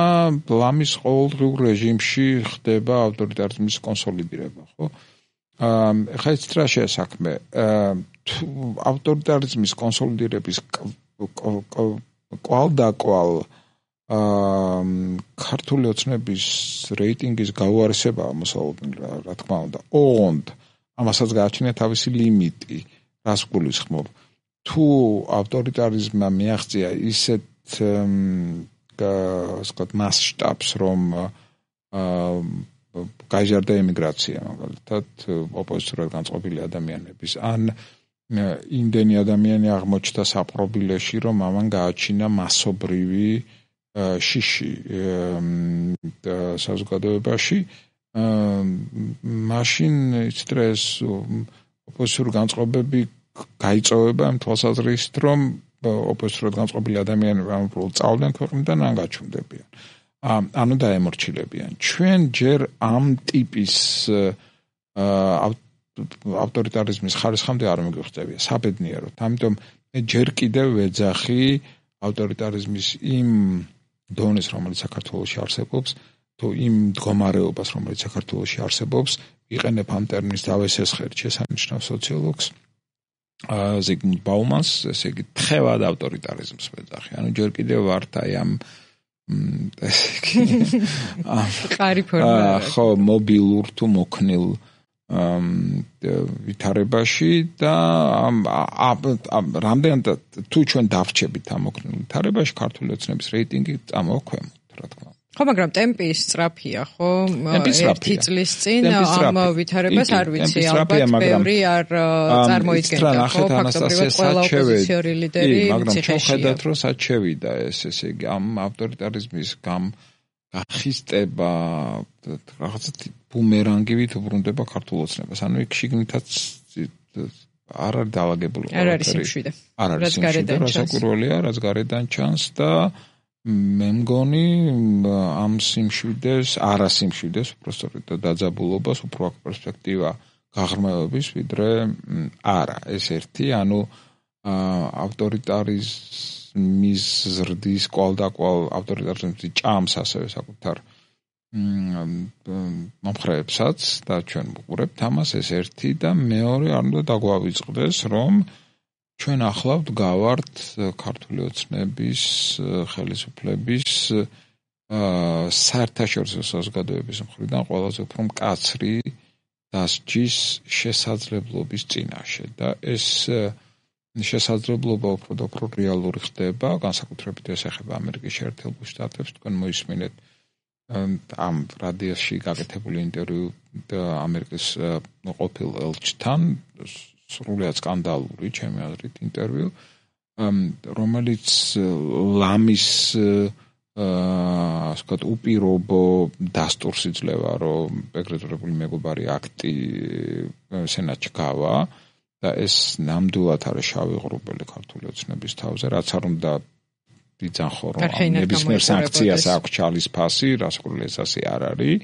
ლამის ყოველდღიურ რეჟიმში ხდება ავტორიტარიზმის კონსოლიდირება, ხო? ეხლა იცით რა შეასაქმე? ავტორიტარიზმის კონსოლიდირების კვალ ქართული ოცნების რეიტინგის გაუარესებაა მოსალოდნელი, რა თქმა უნდა. ოღონდ ამასაც გააჩნია თავისი ლიმიტი, რას გულისხმობ? თუ ავტორიტარიზმმა მიაღწია ისეთ მასშტაბს, რომ გაიზარდა ემიგრაცია, მაგალითად, ოპოზიციურად განწყობილი ადამიანების, ან იმდენი ადამიანი აღმოჩნდა საპყრობილეში, რომ ამან გააჩინა მასობრივი შიში საზოგადოებაში, მაშინ იცით რა, ეს ოპოზიციური განწყობები გაიწოვება იმ თვალსაზრისით, რომ ოპოზიციურად განწყობილი ადამიანები ამ უბრალოდ წავდნენ ქვეყნიდან, ან გაჩნდებიან. ანუ დაემორჩილებიან. ჩვენ ჯერ ამ ტიპის ავტორიტარიზმის ხარისხამდე არ მიგვხვდებით, საბედნიეროდ. ამიტომ მე ჯერ კიდევ ვეძახი ავტორიტარიზმის იმ დონეს, რომელიც საქართველოში არსებობს, თუ იმ მდგომარეობას, რომელიც საქართველოში არსებობს, იყენებ ამ ტერმინს დავესესხერთ შესანიშნავ სოციოლოგს ზიგმუნდ ბაუმანს, ესე იგი თხევად ავტორიტარიზმს ვეძახი. ანუ ჯერ კიდევ ვართ აი ამ ყარი ფორმა. ხო, მობილურ თუ მოქნილ ვითარებაში და რამდენად თუ ჩვენ დავრჩებით ამ მოქნილ ვითარებაში, ქართული ოცნების რეიტინგი წამოვქვემოთ, რა თქმა უნდა. ხო, მაგრამ ტემპი სწრაფია, ხო? ერთი წლის წინ ამ ვითარებას არ ვიცი, ალბათ ბევრი არ წარმოიდგენდა, ხო? ფაქტობრივად ყველა ოპოზიციური ლიდერი ციხეშია. მაგრამ ჩვენ ხედავთ, რომ სად შევიდა ეს, ესე იგი, ამ ავტორიტარიზმის გახისტება, რაღაცა ბუმერანგივით უბრუნდება ქართულ ოცნებას. ანუ იქ შიგნითაც არ არის დაალაგებული ყველაფერი. არ არის სიმშვიდე. არ არის სიმშვიდე, რასაკვირველია, რაც გარედან ჩანს და მე მგონი ამ სიმშვიდეს, არასიმშვიდეს, უბრალოდ დაძაბულობას, უფრო აქ პერსპექტივა გაღრმავების, ვიდრე არა. ეს ერთი, ანუ ავტორიტარიზმის ზრდის კვალდაკვალ ავტორიტარიზმის ჭამს ასევე საკუთარ მომხრეებსაც და ჩვენ ვუყურებთ ამას, ეს ერთი და მეორე არ უნდა დაგვავიწყდეს, რომ ჩვენ ახლა ვდგავართ ქართული ოცნების ხელისუფლების საერთაშორისო საზოგადოების მხრიდან ყველაზე უფრო მკაცრი დასჯის შესაძლებლობის წინაშე და ეს შესაძლებლობა უფრო და უფრო რეალური ხდება, განსაკუთრებით ეს ეხება ამერიკის შეერთებულ შტატებს, თქვენ მოისმინეთ ამ რადიოში გაკეთებული ინტერვიუ ამერიკის ყოფილ ელჩთან, სრულიად სკანდალური, ჩემი აზრით, ინტერვიუ, რომელიც ლამის ასე ვთქვათ, უპირობო დასტურს იძლევა, რომ ეგრეთებული მეგობარი აქტი სენატში გავა და ეს ნამდვილად არის შავი ღრუბელი ქართული ოცნების თავზე, რაც არ უნდა იცახო, რომ ნებისმიერ სანქციას აქვს ჩალის ფასი, რასაკვირველია ეს ასე არ არის.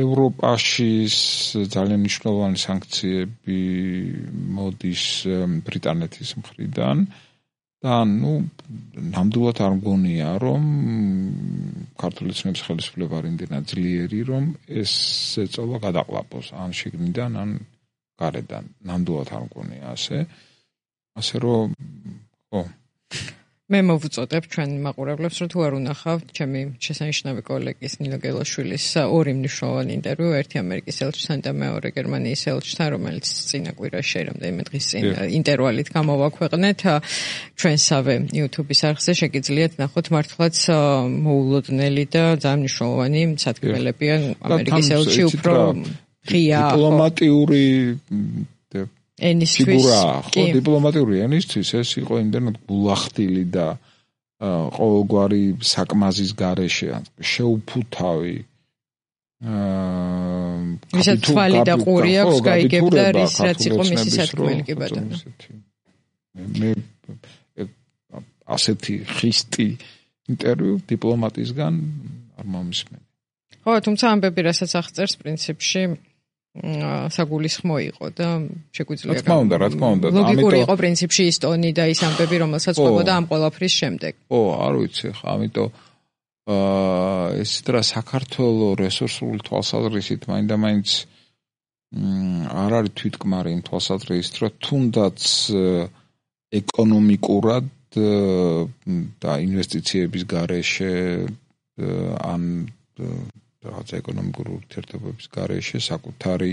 ევროპაში ძალიან მნიშვნელოვანი სანქციები მოდის ბრიტანეთის მხრიდან და ნამდვილად არ მგონია, რომ ქართული ცნების ხელისუფლება არ იმდენად ძლიერი, რომ ეს ეწოლა გადაყლაპოს ან შიგნიდან, ან გარედან. ნამდვილად არ მგონია ასე რომ ხო მე მოვუწოდებ ჩვენ მაყურებლებს, რომ თუ არ უნახავთ ჩემი შესანიშნავი კოლეგის ნინო გელაშვილის ორი მნიშვნელოვანი ინტერვიუ, ერთი ამერიკის ელჩთან და მეორე გერმანიის ელჩთან, რომელიც წინა კვირაში რამდენიმე დღის წინ ინტერვალით გამოვაქვეყნეთ ჩვენსავე YouTube-ის არხზე, შეგიძლიათ ნახოთ მართლაც მოულოდნელი და ძალიან მნიშვნელოვანი სათქმელებიან ამერიკის ელჩი უფრო ღია დიპლომატიური ენისთვის ხო დიპლომატიური ენისთვის ეს იყო იმდენად გულახდილი და ყოველგვარი საკმაზის გარეშე შეუფუთავი ვისაც თვალი და ყური აქვს გაიგებდა რის რაც იყო მისი სათქმელი კი ბატონო მე ასეთი ხისტი ინტერვიუ დიპლომატისგან არ მომისმენი ხო თუმცა ამბები რასაც აღწერს პრინციპში საგულისხმო იყო და შეგვიძლია რა თქმა უნდა ლოგიკური იყო პრინციპში ის ტონი და ის ამბები რომელსაც ყვებოდა ამ ყველაფრის შემდეგ ო არ ვიცი ხა ამიტომ ეს რა საქართველოს რესურსული თვალსაზრისით მაინდა-მაინც არ არის თვითკმარი იმ თვალსაზრისით რომ თუნდაც ეკონომიკურად და ინვესტიციების გარეშე ან რაღაც ეკონომიკური ურთიერთობების გარეშე საკუთარი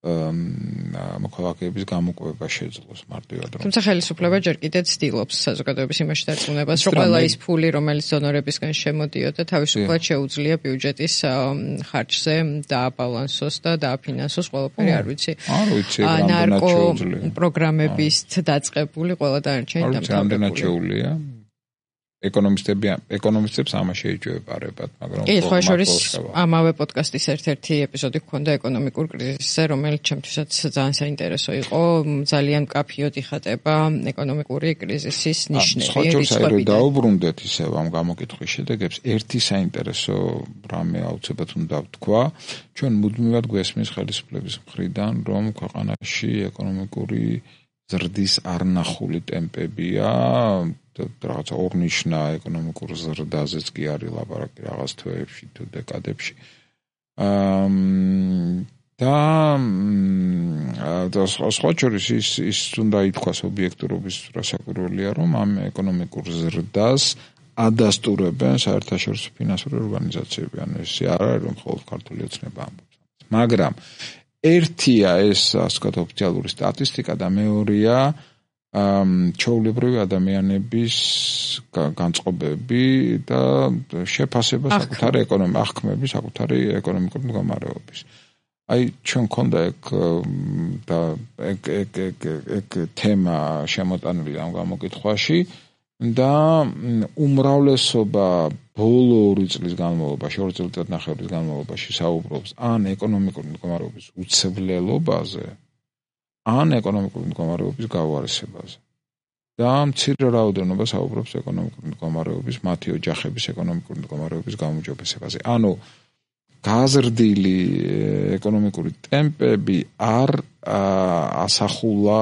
მოქალაქეების გამოყვება შეძლოს მარტივად რომ თუმცა ხელისუფლება ჯერ კიდევ ცდილობს საზოგადოების იმაში დარწმუნებას რომ ყველა ის ფული რომელიც დონორებისგან შემოდიოდა თავისუფლად შეუძლია ბიუჯეტის ხარჯზე დააბალანსოს და დააფინანსოს ყველაფერი არ ვიცი ნარკო პროგრამების დაწყებული ყველა დანარჩენი დამთავრებულია ეკონომისტებს ამაში ეჯვებარებათ, მაგრამ კი, სხვა შორის ამავე პოდკასტის ერთ-ერთი ეპიზოდი გქონდა ეკონომიკურ კრიზისზე, რომელიც ჩემთვისაც ძალიან საინტერესო იყო, ძალიან მკაფიოდ იხატება ეკონომიკური კრიზისის ნიშნები. სხვა შორის რომ დაუბრუნდეთ ისევ ამ გამოკითხვის შედეგებს, ერთი საინტერესო რამე აუცილებლად უნდა ვთქვა, ჩვენ მუდმივად გვესმის ხელისუფლების მხრიდან, რომ ქვეყანაში ეკონომიკური ზრდის არნახული ტემპებია რაღაც ორნიშნა ეკონომიკურ ზრდაზეც კი არის ლაპარაკი რაღაც თვეებში თუ დეკადებში და სხვა შორის ის უნდა ითქვას ობიექტურობის რასაკვირველია რომ ამ ეკონომიკურ ზრდას ადასტურებენ საერთაშორისო ფინანსური ორგანიზაციები ან ეს არ არის რომ მხოლოდ ქართული ოცნება ამბობს მაგრამ ერთია ეს ასე ვთქვათ ოფიციალური სტატისტიკა და მეორეა ჩაოლებრივი ადამიანების განწყობები და შეფასება საკუთარი აღქმები საკუთარი ეკონომიკური მდგომარეობის. აი ჩვენ მქონდა ეგ თემა შემოტანილი ამ გამოკითხვაში და უმრავლესობა ბოლო 2 წლის განმავლობაში, 2 წელიწადნახევრის განმავლობაში საუბრობს ან ეკონომიკური მდგომარეობის უცვლელობაზე, ან ეკონომიკური მდგომარეობის გავარესებაზე. და მცირე რაოდენობა საუბრობს ეკონომიკური მდგომარეობის, მათი ოჯახების ეკონომიკური მდგომარეობის გაუმჯობესებაზე. ანუ გაზრდილი ეკონომიკური ტემპები არ ასახულა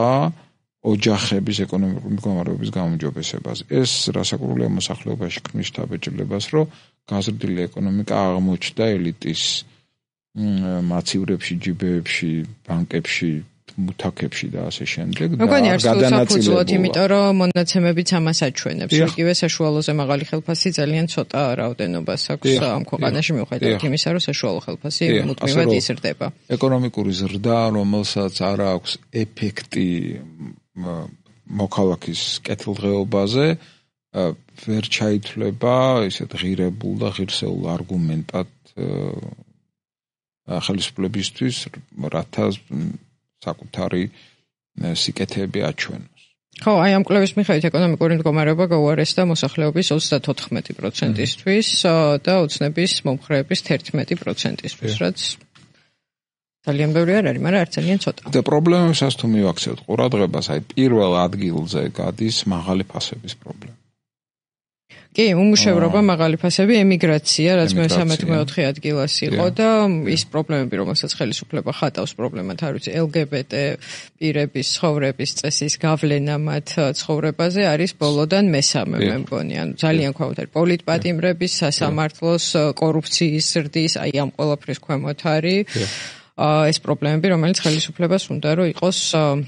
ოჯახების ეკონომიკური მდგომარეობის გაუმჯობესებას. ეს რასაკვირველია მოსახლეობაში ქმნის შთაბეჭდილებას, რომ გაზრდილი ეკონომიკა აღმოჩნდა ელიტის მაცივრებში, ჯიბეებში, ბანკებში, მუთაქებში და ასე შემდეგ და გადანაწილებლად, იმიტომ რომ მონაცემებიც ამას აჩვენებს. იგივე საშუალოზე მაღალი ხელფასი ძალიან ცოტა რაოდენობას აქვს ამ ქვეყანაში მიუხედავად იმისა, რომ საშუალო ხელფასი მუდმივად იზრდება. ეკონომიკური ზრდა, რომელსაც არ აქვს ეფექტი მოქალაქის კეთილდღეობაზე, ვერ ჩაითვლება ისეთ ღირებულ და ღირსეულ არგუმენტად ხელისუფლებისთვის, რათა საკუთარი სიკეთეები აჩვენოს. ხო, აი ამ კვლევის მიხედვით ეკონომიკური მდგომარეობა გაუარესდა მოსახლეობის 34%-ისთვის და ოცნების მომხრეების 11%-ისთვის, რაც ძალიან ბევრი არ არის, მაგრამ არ ძალიან ცოტა. და პრობლემებსაც თუ მივაქცევთ ყურადღებას, აი პირველ ადგილზე გადის მაღალი ფასების პრობლემა. კი, უმუშევრობა, მაღალი ფასები, ემიგრაცია, რაც მე-13-4 ადგილას იყო და ის პრობლემები, რომელსაც ხელისუფლება ხატავს პრობლემად, არ ვიცი, LGBT პირების ცხოვრების წესის გავლენა მათ ცხოვრებაზე არის ბოლოდან მესამე, მე მგონი, ანუ ძალიან ქვემოთ არის პოლიტპატიმრების, სასამართლოს, კორუფციის ზრდის, აი ამ ყველაფრის ქვემოთ არის ეს პრობლემები, რომელიც ხელისუფლებას უნდა რომ იყოს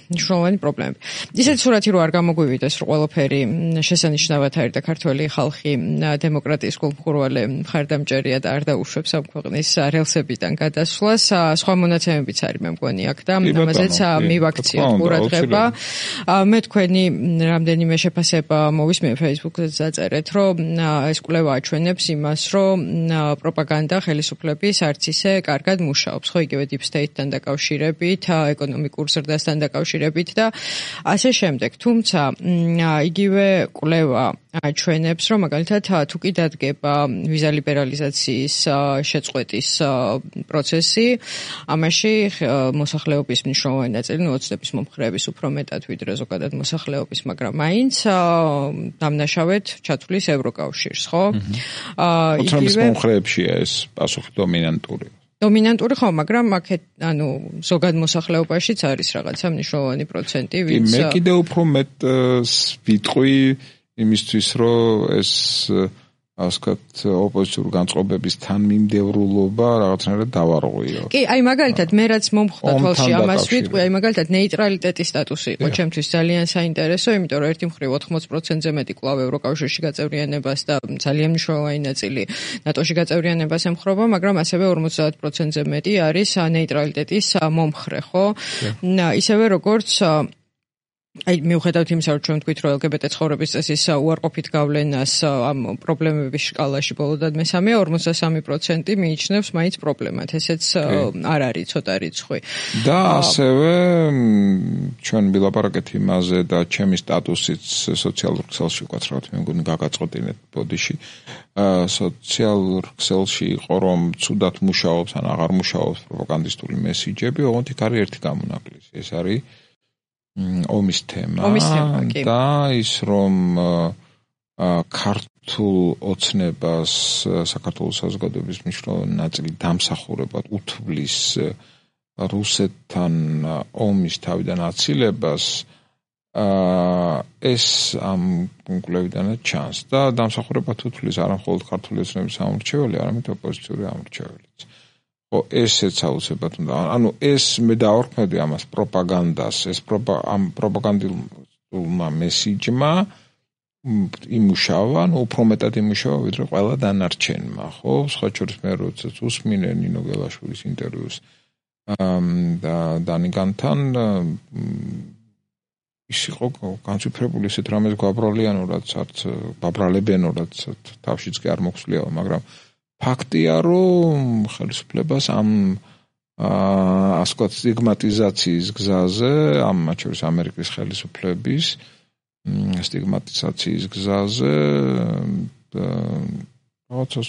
მნიშვნელოვანი პრობლემები. ისეთი სურათი რო არ გამოგვივიდეს, რომ ყველაფერი შესანიშნავად არის და ქართველი ხალხი დემოკრატიის გულმხურვალე მხარდამჭერია და არ დაუშვებს ამ ქვეყნის რელსებიდან გადასვლას, სხვა მონაცემებიც არის მე მგონი აქ და ამაზეც მივაქციოთ ყურადღება. მე თქვენი რამდენიმე შეფასება მოვისმენ Facebook-ზე დაწერეთ, რომ ეს კვლევა აჩვენებს იმას, რომ პროპაგანდა ხელისუფლების არც ისე კარგად მუშაობს, ხო იგივე State-თან დაკავშირებით, ეკონომიკურ ზრდასთან დაკავშირებით და ასე შემდეგ. თუმცა იგივე კვლევა აჩვენებს, რომ მაგალითად თუ კი დადგება ვიზა ლიბერალიზაციის შეწყვეტის პროცესი, ამაში მოსახლეობის მნიშვნელოვანი ნაწილი, ოცნების მომხრეების უფრო მეტად ვიდრე ზოგადად მოსახლეობის, მაგრამ მაინც დამნაშავედ ჩათვლის ევროკავშირს, ხო? ოცნების მომხრეებშია ეს პასუხი დომინანტური. დომინანტური ხო, მაგრამ აქეთ, ანუ ზოგად მოსახლეობაშიც არის რაღაცა მნიშვნელოვანი პროცენტი, ვინც მე კიდევ უფრო მეტს ვიტყვი იმისთვის, რომ ეს ასკათ ოპოზიციური განწყობების თანმიმდევრულობა რაღაცნაირად დავარღვიო. კი, აი მაგალითად მე რაც მომხვდა თვალში ამას ვიტყვი, აი მაგალითად ნეიტრალიტეტის სტატუსი იყო ჩემთვის ძალიან საინტერესო, იმიტომ რომ ერთი მხრივ 80%-ზე მეტი კვლავ ევროკავშირში გაწევრიანებას და ძალიან მნიშვნელოვანი ნაწილი ნატოში გაწევრიანებას ემხრობა, მაგრამ ასევე 50%-ზე მეტი არის ნეიტრალიტეტის მომხრე, ხო? ისევე როგორც აი მიუხედავად იმისა, რომ ჩვენ თქვით, რომ LGBT ცხოვრების წესის უარყოფით გავლენას ამ პრობლემების სკალაში ბოლოდად მესამე 53% მიიჩნევს მაინც პრობლემად. ესეც არ არის ცოტა რიცხვი. და ასევე ჩვენ ვილაპარაკეთ იმაზე და ჩემი სტატუსიც სოციალურ ქსელში ვკაც რა თქმა უნდა გაგაწყვეტინეთ ბოდიში. სოციალურ ქსელში იყო რომ ცუდად მუშაობს ან აღარ მუშაობს პროპაგანდისტული მესიჯები, ოღონდ იქ არის ერთი გამონაკლისი. ეს არის ომის თემა და ის რომ ქართულ ოცნებას საქართველოს საზოგადოების მნიშვნელოვანი ნაწილი დამსახურებად უთვლის რუსეთთან ომის თავიდან აცილებას ეს ამ კვლევიდანაც ჩანს და დამსახურებად უთვლის არა მხოლოდ ქართული ოცნების ამორჩეველი, არამედ ოპოზიციური ამორჩეველიც. ხო, ესეც აუცილებლად უნდა. ანუ ეს მე დავარქმევდი ამას პროპაგანდას, ეს ამ პროპაგანდულმა მესიჯმა იმუშავა, უფრო მეტად იმუშავა, ვიდრე ყველა დანარჩენმა, ხო? სხვა შორის მე როდესაც უსმინე ნინო გელაშვილის ინტერვიუს და დანიგანთან ის იყო განცვიფრებული ისეთ რამეს გვაბრალებიანურად, ბაბრალებიანურად თავშიც კი არ მოხსლიაო, მაგრამ ფაქტია, რომ ხელისუფლებას ამ ასე ვთქვათ სტიგმატიზაციის გზაზე, ამ მათ შორის ამერიკის ხელისუფლების სტიგმატიზაციის გზაზე რაღაცა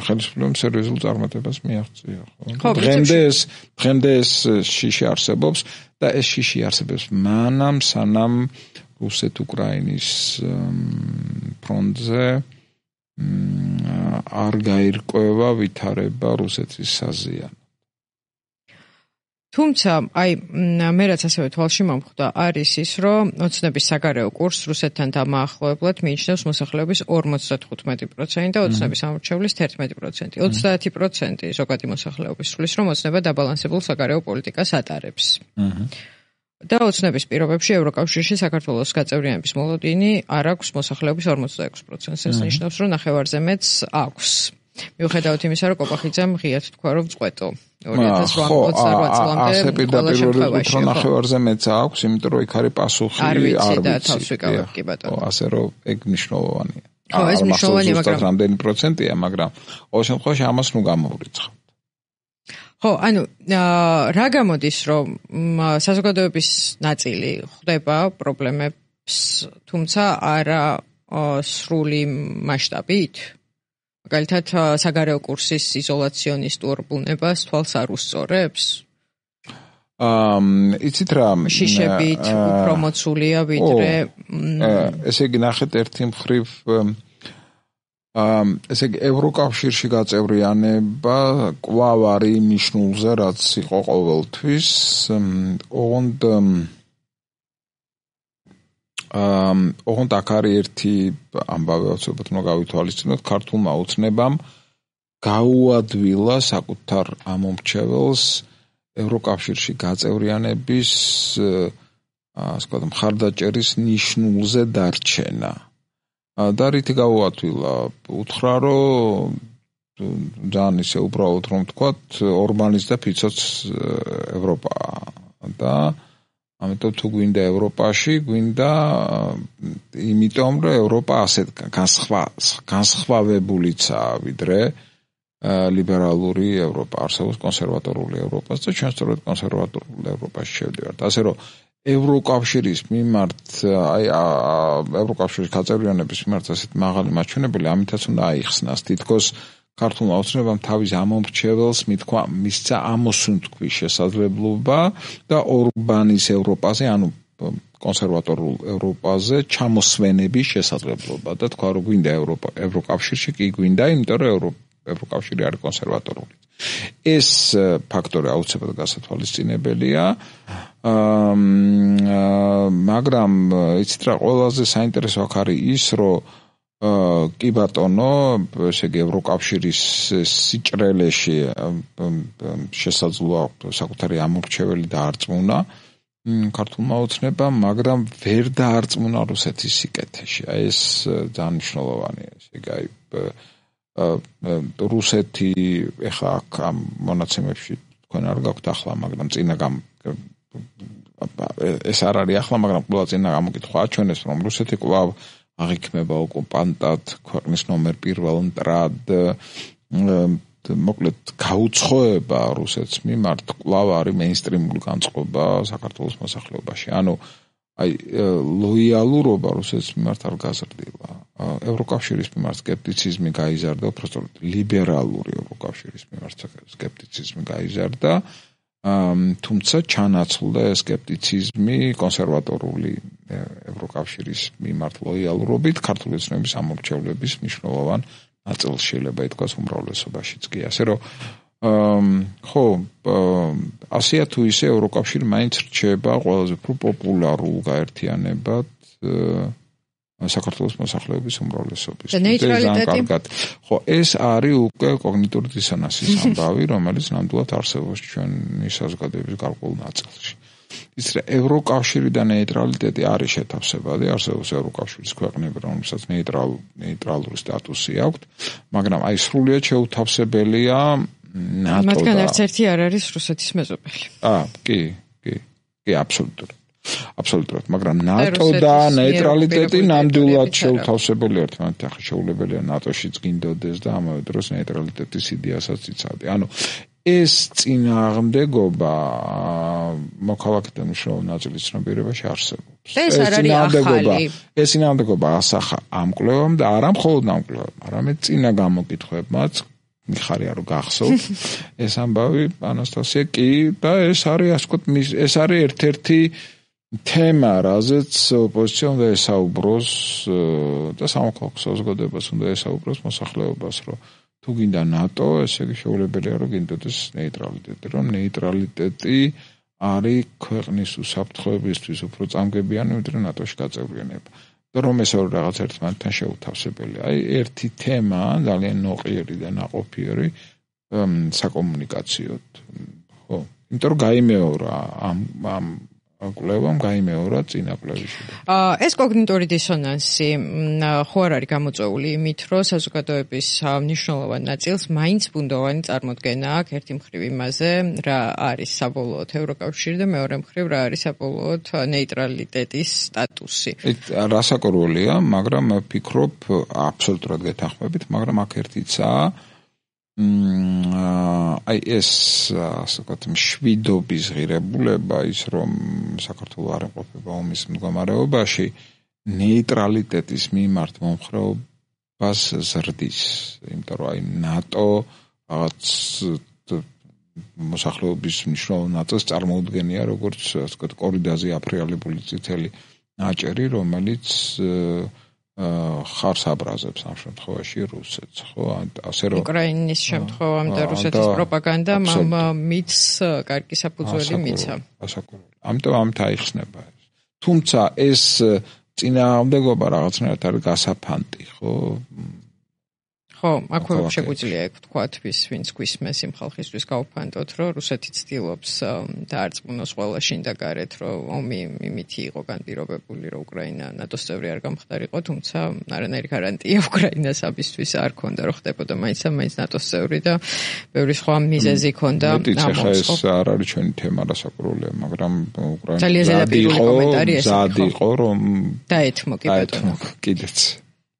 ხელისუფლებამ სერიოზულ წარმატებას მიაღწია, ხო? დღემდე ეს შიში არსებობს და ეს შიში არსებობს მანამ სანამ რუსეთ-უკრაინის ფრონტზე არ გაირკვევა ვითარება რუსეთის საზიანოდ. თუმცა, აი, მე რაც ასევე თვალში მომხვდა, არის ის, რომ ოცნების საგარეო კურსს რუსეთთან დამაახლოებლად მიიჩნევს მოსახლეობის 55% და ოცნების ამორჩევლის 11%. 30% ზოგადი მოსახლეობის სulis, რომ ოცნება დაბალანსებულ საგარეო პოლიტიკას ატარებს. და ოცნების პირობებში ევროკავშირში საქართველოს გაწევრიანების მოლოდინი არ აქვს მოსახლეობის 46%-ს. ეს ნიშნავს, რომ ნახევარზე მეტს აქვს. მიუხედავად იმისა, რომ კოპახიძემ ღიად თქვა, რომ წყვეტო 2028 წლამდე ყველა შემთხვევაში. ნახევარზე მეტს აქვს, იმიტომ რომ იქ არის პასუხი არ ვიცი და თავს ვიკავებ კი ბატონო. ასე რომ ეგ მნიშვნელოვანია. ხო, ეს მნიშვნელოვანია, მაგრამ რამდენი პროცენტია, მაგრამ ყოველ შემთხვევაში ამას ნუ გამოვრიცხავთ. ხო, ანუ რა გამოდის, რომ საზოგადოების ნაწილი ხვდება პრობლემებს, თუმცა არა სრული მასშტაბით? მაგალითად, საგარეო კურსის იზოლაციონისტურ ბუნებას თვალს არ უსწორებს? იცით რა შიშებით უფრო მოცულია ვიდრე ესე იგი ნახეთ ერთი მხრივ ესე იგი ევროკავშირში გაწევრიანება კვლავ არის ნიშნულზე რაც იყო ყოველთვის ოღონდ აქ არის ერთი ამბავი აუცილებლად უნდა გავითვალისწინოთ ქართულმა ოცნებამ გაუადვილა საკუთარ ამომრჩეველს ევროკავშირში გაწევრიანების ასე ვთქვათ მხარდაჭერის ნიშნულზე დარჩენა და რითი გაუადვილა უთხრა რომ ძალიან ისე უბრალოდ რომ ვთქვათ ორბანის და ფიცოც ევროპაა და ამიტომ თუ გვინდა ევროპაში გვინდა იმიტომ რომ ევროპა ასეთ განსხვავებულიცაა ვიდრე ლიბერალური ევროპა არსებობს კონსერვატორული ევროპას და ჩვენ სწორედ კონსერვატორულ ევროპაში შევდივართ ასე რომ ევროკავშირის მიმართ აი ევროკავშირის გაწევრიანების მიმართ ასეთ მაღალი მაჩვენებელი ამითაც უნდა აიხსნას თითქოს ქართულმა ოცნებამ თავის ამომრჩეველს მithქვა მისცა ამოსუნთქვის შესაძლებლობა და ორბანის ევროპაზე ანუ კონსერვატორულ ევროპაზე ჩამოსვენების შესაძლებლობა და თქვა რომ გვინდა ევროკავშირში კი გვინდა იმიტომ რომ ევროკავშირი არის კონსერვატორული ეს ფაქტორი აუცილებლად გასათვალისწინებელია მაგრამ იცით რა ყველაზე საინტერესო აქ არის ის რომ კი ბატონო ესე იგი ევროკავშირის სიჭრელეში შესაძლოა საკუთარი ამორჩეველი დაარწმუნა ქართულმა ოცნებამ მაგრამ ვერ დაარწმუნა რუსეთის სიკეთეში აი ეს ძალიან მნიშვნელოვანია ესე იგი აი რუსეთი ეხლა აქ ამ მონაცემებში თქვენ არ გაქვთ ახლა მაგრამ წინა ეს არ არის ახლა მაგრამ ყველა წინა გამოკითხვა აჩვენეს რომ რუსეთი კვლავ აღიქმება ოკუპანტად ქვეყნის ნომერ 1 მტრად მოკლედ გაუცხოება რუსეთს მიმართ კვლავ არის მეინსტრიმული განწყობა საქართველოს მოსახლეობაში ანუ აი ლოიალურობა რუსეთის მიმართ არ გაზრდილა ევროკავშირის მიმართ სკეპტიციზმი გაიზარდა უბრალოდ ლიბერალური ევროკავშირის მიმართ სკეპტიციზმი გაიზარდა თუმცა ჩანაცვლდა სკეპტიციზმი კონსერვატორული ევროკავშირის მიმართ ლოიალურობით ქართული ოცნების ამორჩევლების მნიშვნელოვან ნაწილს შეიძლება ითქვას უმრავლესობაშიც კი ასე რომ ხო ასია თუ ისე ევროკავშირი მაინც რჩება ყველაზე უფრო პოპულარულ გაერთიანებად საქართველოს მოსახლეობის უმრავლესობის. ხო, ეს არის უკვე კოგნიტური დისონანსის ამბავი, რომელიც ნამდვილად არსებობს ჩვენი საზოგადოების გარკვეულ ნაწილში. ის ევროკავშირი და ნეიტრალიტეტი არის შეთავსებადი, არსებობს ევროკავშირის ქვეყნები, რომელსაც ნეიტრალური სტატუსი აქვთ, მაგრამ აი სრულიად შეუთავსებელია ნატო. მათგან არც ერთი არ არის რუსეთის მეზობელი. კი, აბსოლუტურად, მაგრამ ნატო და ნეიტრალიტეტი ნამდვილად შეუთავსებელი ერთმანეთთან. ახლა შეუძლებელია ნატოშიც გინდოდეს და ამავე დროს ნეიტრალიტეტის იდეასაც იცავდი. ანუ ეს წინააღმდეგობა მოქალაქეთა მნიშვნელოვანი ნაწილის ცნობიერებაში არსებობს. ეს არ არის ახალი. ეს წინააღმდეგობა ასახა ამ კვლევამ და არა მხოლოდ ამ კვლევამ, არამედ წინა გამოკითხვებმაც მიხარია რომ გახსოვთ ეს ამბავი ანასტასია კი და ეს არის ასე ვთქვათ ეს არის ერთ-ერთი თემა, რაზეც ოპოზიცია უნდა ესაუბროს და სამოქალაქო საზოგადოებას უნდა ესაუბროს მოსახლეობას, რომ თუ გინდა ნატო, ესე იგი შეუძლებელია რომ გინდოდეს ნეიტრალიტეტი, რომ ნეიტრალიტეტი არის ქვეყნის უსაფრთხოებისთვის უფრო წამგებიანი, ვიდრე ნატოში გაწევრიანება. და რომ ეს ორი რაღაც ერთმანეთთან შეუთავსებელია. აი ერთი თემა ძალიან ნოყიერი და ნაყოფიერი საკომუნიკაციოდ. ხო, იმიტომ რომ გაიმეორა ამ კვლევამ გაიმეორა წინა კვლევაში. ეს კოგნიტური დისონანსი ხო არ არის გამოწვეული იმით, რომ საზოგადოების მნიშვნელოვან ნაწილს მაინც ბუნდოვანი წარმოდგენა აქვს ერთი მხრივ იმაზე, რა არის საბოლოოდ ევროკავშირი და მეორე მხრივ რა არის საბოლოოდ ნეიტრალიტეტის სტატუსი. რასაკურველია, მაგრამ ვფიქრობ აბსოლუტურად გეთანხმებით, მაგრამ აქ ერთიცაა აი ეს ასე ვთქვათ მშვიდობის ღირებულება ის რომ საქართველოს არ იმყოფება ომის მდგომარეობაში ნეიტრალიტეტის მიმართ მომხრეობას ზრდის იმიტომ რომ აი ნატო რაღაც მოსახლეობის მნიშვნელოვან ნაწილს წარმოუდგენია როგორც ასე ვთქვათ კორიდაზე აფრიალებული წითელი ნაჭერი, რომელიც ხარს აბრაზებს ამ შემთხვევაში რუსეთს, ხო? ასე რომ უკრაინის შემთხვევამ და რუსეთის პროპაგანდამ მითს კარგი საფუძველი მიცა. ამიტომ ამით აიხსნება ეს. თუმცა ეს წინააღმდეგობა რაღაცნაირად არის გასაფანტი, ხო? ხო, აქვე შეგვიძლია ვთქვათ, ვინც გვისმენს იმ ხალხისთვის გავფანტოთ, რომ რუსეთი ცდილობს დაარწმუნოს ყველა შინ და გარეთ, რომ ომი იმითი იყო განპირობებული, რომ უკრაინა ნატოს წევრი არ გამხდარიყო, თუმცა არანაირი გარანტია უკრაინას ამისთვის არ ქონდა, რომ ხდებოდა მაინც ნატოს წევრი და ბევრი სხვა მიზეზი ქონდა. ეს არ არის ჩვენი თემა რასაკვირველია, მაგრამ უკრაინა ძალიან ზედაპირული კომენტარი ეს იყო, რომ დაეთმო კი ბატონო. კიდეც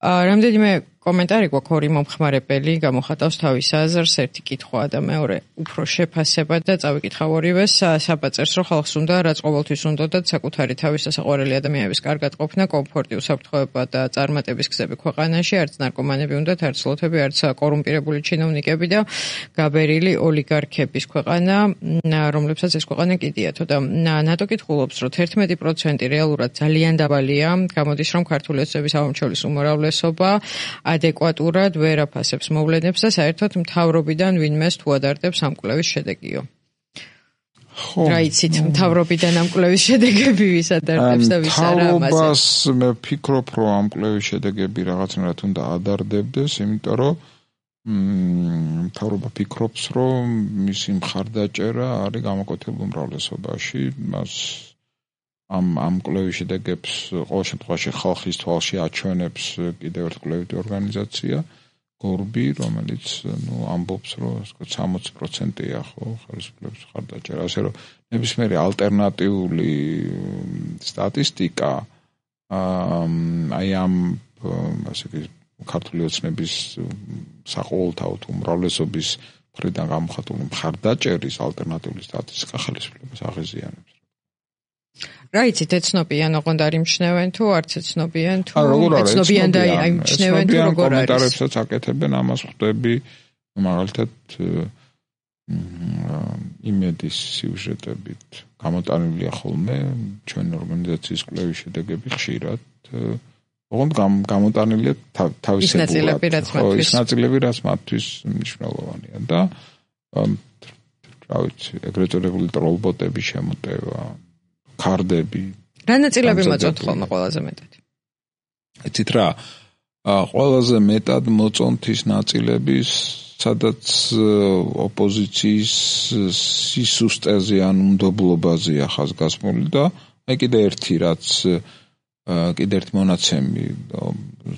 რამდენიმე კომენტარი გვაქვს ორი მომხმარებელი გამოხატავს თავის აზრს, ერთი კითხვა და მეორე უფრო შეფასება და წავიკითხავ ორივეს. საბაწერს რომ ხალხს უნდა რაც ყოველთვის უნდათ საკუთარი თავის სასაყვარელი ადამიანების კარგად ყოფნა, კომფორტი, უსაფრთხოება და წარმატების გზები ქვეყანაში, არც ნარკომანები უნდათ, არც ლოთები, არც კორუმპირებული ჩინოვნიკები და გაბერილი ოლიგარქების ქვეყანა, რომლებსაც ეს ქვეყანა კიდიათო და ნატო კითხულობს, რომ 11% რეალურად ძალიან დაბალია, გამოდის რომ ქართული ოცნების ავამჩევლის უმრავლესობა ადეკვატურად ვერ აფასებს მოვლენებს და საერთოდ მთავრობიდან ვინმეს თუ ადარდებს ამ კვლევის შედეგიო. ხო. რა იცით, მთავრობიდან ამ კვლევის შედეგები ვის ადარდებს და ვის არა ამაზე. მთავრობას მე ვფიქრობ, რომ ამ კვლევის შედეგები რაღაცნაირად უნდა ადარდებდეს, იმიტომ რომ მთავრობა ფიქრობს, რომ მისი მხარდაჭერა არის გამოკვეთილ უმრავლესობაში, მას ამ კვლევის შედეგებს ყოველ შემთხვევაში ხალხის თვალში აჩვენებს კიდევ ერთ კვლევითი ორგანიზაცია გორბი, რომელიც ამბობს, რომ 60%-ია ხო ხელისუფლების მხარდაჭერა, ასე რომ ნებისმიერი ალტერნატიული სტატისტიკა აი ამ ასე იგი ქართული ოცნების საყოველთაოდ უმრავლესობის მხრიდან გამოხატული მხარდაჭერის ალტერნატიული სტატისტიკა ხელისუფლებას აღიზიანებს. რა იცით, ეცნობიან ოღონდ არ იმჩნევენ თუ არც ეცნობიან თუ ეცნობიან და იმჩნევენ თუ როგორ არის. კომენტარებსაც აკეთებენ, ამას ხვდები მაგალითად იმედის სიუჟეტებით გამოტანილია ხოლმე ჩვენი ორგანიზაციის კვლევის შედეგები ხშირად. ოღონდ გამოტანილია თავისებურად. ის ნაწილები, რაც მათთვის მნიშვნელოვანია და რა ვიცი, ეგრეთ წოდებული ტროლბოტების შემოტევა ქარდები. რა ნაწილები მოწონთ ხოლმე ყველაზე მეტად? იცით რა, ყველაზე მეტად მოწონთ ის ნაწილები, სადაც ოპოზიციის სისუსტეზე ან უნდობლობაზეა ხაზგასმული და აი კიდე ერთი მონაცემი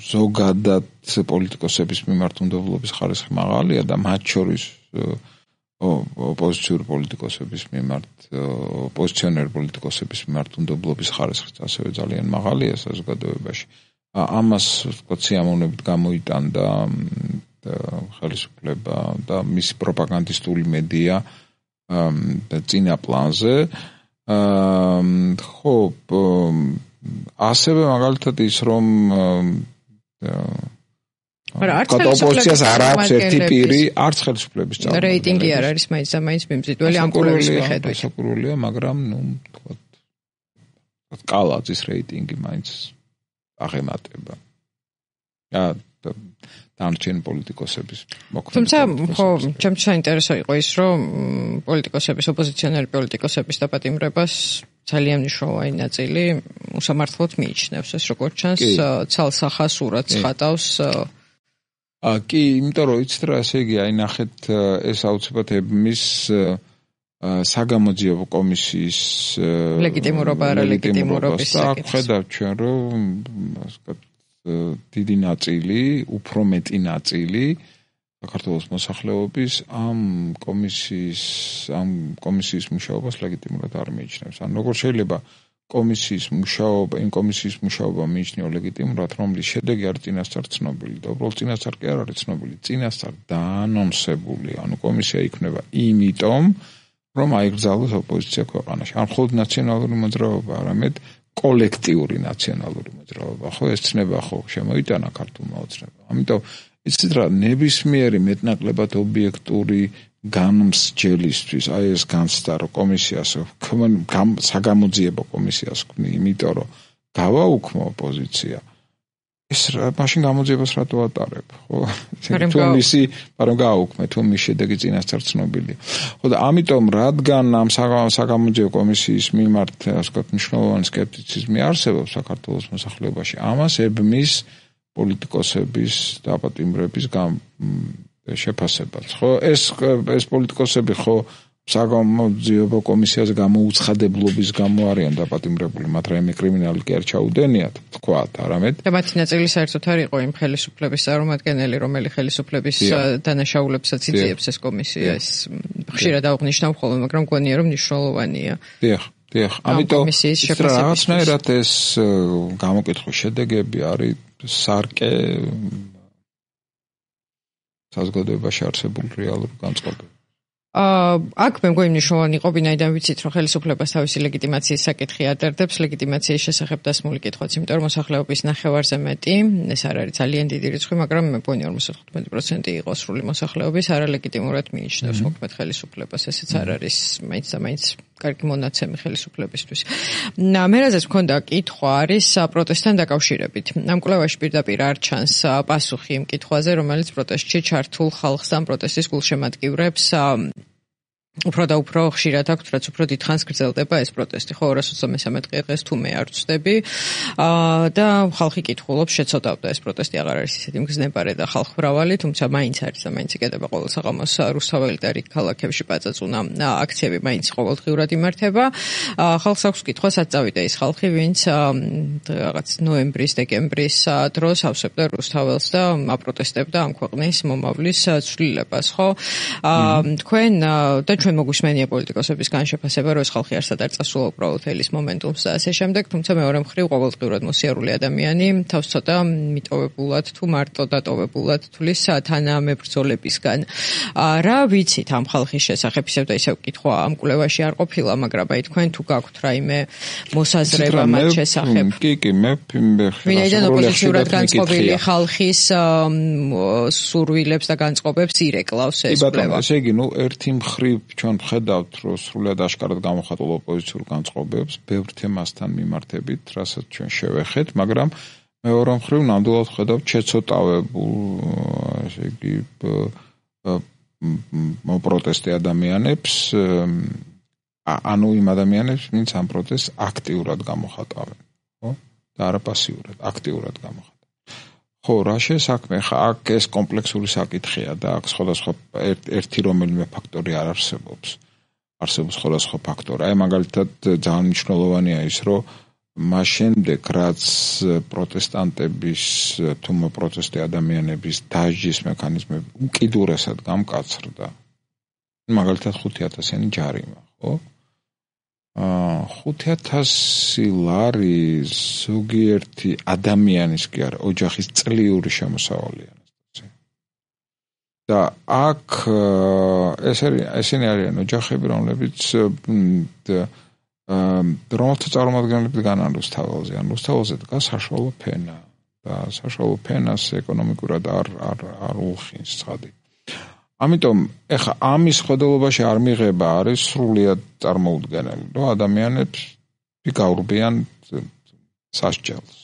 ზოგადად პოლიტიკოსების მიმართ უნდობლობის ხარისხი მაღალია და მათ შორის ოპოზიციური პოლიტიკოსების მიმართ, ოპოზიციონერ პოლიტიკოსების მიმართ უნდობლობის ხარისხიც ასევე ძალიან მაღალია საზოგადოებაში. ამას ვთქვათ სიამოვნებით გამოიტანდა ხელისუფლება და მისი პროპაგანდისტული მედია წინა პლანზე. ხო, ასევე მაგალითად ის რომ ოპოზიციას არ აქვს ერთი პირი, არც ხელისუფლების წარმომადგენლები. რეიტინგი არ არის მაინც და მაინც მიმზიდველი ამ კვლევის მიხედვით. საკურველია, მაგრამ თქვათ კალაძის რეიტინგი მაინც აღემატება. დანარჩენი პოლიტიკოსების მოქმედება. თუმცა, ხო, ჩემთვის საინტერესო იყო ის, რომ პოლიტიკოსების, ოპოზიციონერი პოლიტიკოსების დაპატიმრებას ძალიან მნიშვნელოვანი ნაწილი უსამართლოდ მიიჩნევს, ეს როგორც ჩანს, ცალსახას ურაც ხატავს. კი, იმიტომ რომ იცით რა, ესე იგი, აი ნახეთ, ეს აუცილებლად ებმის საგამოძიებო კომისიის ლეგიტიმურობა არა ლეგიტიმურობის საკითხი. ხედავთ ჩვენ, რომ ასე ვთქვათ, დიდი ნაწილი, უფრო მეტი ნაწილი საქართველოს მოსახლეობის ამ კომისიის მუშაობას ლეგიტიმურად არ მიიჩნევს. ან როგორ შეიძლება იმ კომისიის მუშაობა მიიჩნიო ლეგიტიმურად, რომლის შედეგი არის წინასწარ ცნობილი და უბრალოდ წინასწარ კი არ არის ცნობილი, წინასწარ დაანონსებული. ანუ კომისია იქნება იმიტომ, რომ აიგრძალოს ოპოზიცია ქვეყანაში. არ მხოლოდ ნაციონალური მოძრაობა, არამედ კოლექტიური ნაციონალური მოძრაობა. ხო, ეს ცნება ხო შემოიტანა ქართულმა ოცნებამ. ამიტომ იცით რა, ნებისმიერი მეტნაკლებად ობიექტური განმსჯელისთვის აი ეს განცდა რომ კომისიას საგამოძიებო კომისიას ქმნი, იმიტომ რომ გავაუქმო ოპოზიცია. ეს მაშინ გამოძიებას რატო ატარებ, ხო? თუ მისი, მაგრამ გააუქმე, თუ მის შედეგი წინასწარ ცნობილია. ხო და ამიტომ რადგან ამ საგამოძიებო კომისიის მიმართ, ასე ვთქვათ, მნიშვნელოვანი სკეპტიციზმი არსებობს საქართველოს მოსახლეობაში, ამას ებმის პოლიტიკოსების დაპატიმრების შეფასებაც, ხო? ეს პოლიტიკოსები ხო საგამოძიებო კომისიაზე გამოუცხადებლობის გამო არიან დაპატიმრებული, მათ რაიმე კრიმინალი კი არ ჩაუდენიათ, თქვათ, არამედ და მათი ნაწილი საერთოდ არ იყო იმ ხელისუფლების წარმომადგენელი, რომელი ხელისუფლების დანაშაულებსაც იძიებს ეს კომისია. ეს ხშირად აღნიშნავ ხოლმე, მაგრამ მგონია რომ მნიშვნელოვანია. დიახ, ამიტომ რაღაცნაირად ეს გამოკითხვის შედეგები არის სარკე საზოგადოებაში არსებული რეალური განწყობები. აქ მე მგონი მნიშვნელოვანი იყო, ვინაიდან ვიცით, რომ ხელისუფლებას თავისი ლეგიტიმაციის საკითხი ადარდებს, ლეგიტიმაციის შესახებ დასმული კითხვაც, იმიტომ რომ მოსახლეობის ნახევარზე მეტი, ეს არ არის ძალიან დიდი რიცხვი, მაგრამ მე მგონი 55% იყო სრული მოსახლეობის არალეგიტიმურად მიიჩნევს მოქმედ ხელისუფლებას, ესეც არ არის მაინც და მაინც კარგი მონაცემი ხელისუფლებისთვის. მე რაზეც მქონდა კითხვა არის პროტესტთან დაკავშირებით. ამ კვლევაში პირდაპირ არ ჩანს პასუხი იმ კითხვაზე, რომელიც პროტესტში ჩართულ ხალხს ან პროტესტის გულშემატკივრებს უფრო და უფრო ხშირად აქვთ, რაც უფრო დიდხანს გრძელდება ეს პროტესტი. ხო, 223 დღეს თუ მე არ ვწდები და ხალხი კითხულობს, შეცოდავდა ეს პროტესტი აღარ არის ისეთი მგზნებარე და ხალხ მრავალი, თუმცა მაინც არის და მაინც იკეთება ყოველ საღამოს რუსთაველი და რიგ ქალაქებში პაწაწუნა აქციები მაინც ყოველდღიურად იმართება. ხალხს აქვს კითხვა, სად წავიდა ის ხალხი, ვინც რაღაც ნოემბრის, დეკემბრის დროს ავსებდა რუსთაველს და აპროტესტებდა ამ ქვეყნის მომავლის ცვლილებას, ხო? თქვენ და ჩვენ მოგვისმენია პოლიტიკოსების განშეფასება, რომ ეს ხალხი არსად არ წასულა უბრალოდ ელის მომენტუმს და ასე შემდეგ, თუმცა მეორე მხრივ ყოველდღიურად მოსიარული ადამიანი თავს ცოტა მიტოვებულად თუ მარტო დატოვებულად თulis თანამებრძოლებისგან. რა ვიცით ამ ხალხის შესახებ, ისევ და ისევ კითხვა ამ კვლევაში არ ყოფილა, მაგრამ აი თქვენ თუ გაქვთ რაიმე მოსაზრება მათ შესახებ. კი, მე ვინაიდან ოპოზიციურად განწყობილი ხალხის სურვილებს და განწყობებს ირეკლავს ეს კვლევა. ესე იგი, ერთი მხრივ ჩვენ ვხედავთ, რომ სრულად აშკარად გამოხატულ ოპოზიციურ განწყობებს ბევრ თემასთან მიმართებით, რასაც ჩვენ შევეხეთ, მაგრამ მეორე მხრივ ნამდვილად ვხედავთ შეცოტავებულ, ესე იგი, პროტესტი ადამიანებს, ანუ იმ ადამიანებს, ვინც ამ პროტესტს აქტიურად გამოხატავენ, ხო? და არა პასიურად, აქტიურად გამოხატავენ. ხო, რა შესაქმე, აქ ეს კომპლექსური საკითხია და აქ სხვადასხვა ერთი რომელიმე ფაქტორი არ არსებობს. არსებობს სხვადასხვა ფაქტორი. აი მაგალითად ძალიან მნიშვნელოვანია ის, რომ მას შემდეგ, რაც პროტესტანტების თუ პროტესტი ადამიანების დასჯის მექანიზმები უკიდურესად გამკაცრდა, მაგალითად 5,000-იანი ჯარიმა, ხო? 5,000 ლარი ზოგიერთი ადამიანის კი არა, ოჯახის წლიური შემოსავალია. და აქ ესენი არიან ოჯახები, რომლებიც რომელთა წარმომადგენლები დგანან რუსთაველზე, ან რუსთაველზე დგას საშუალო ფენა და საშუალო ფენას ეკონომიკურად არ უხინს ცხადი. ამიტომ ეხა ამის ხედელობაში არ მიღება არის სრულიად წარმოუდგენელი, რომ ადამიანებს გაურბიან სასჯელს.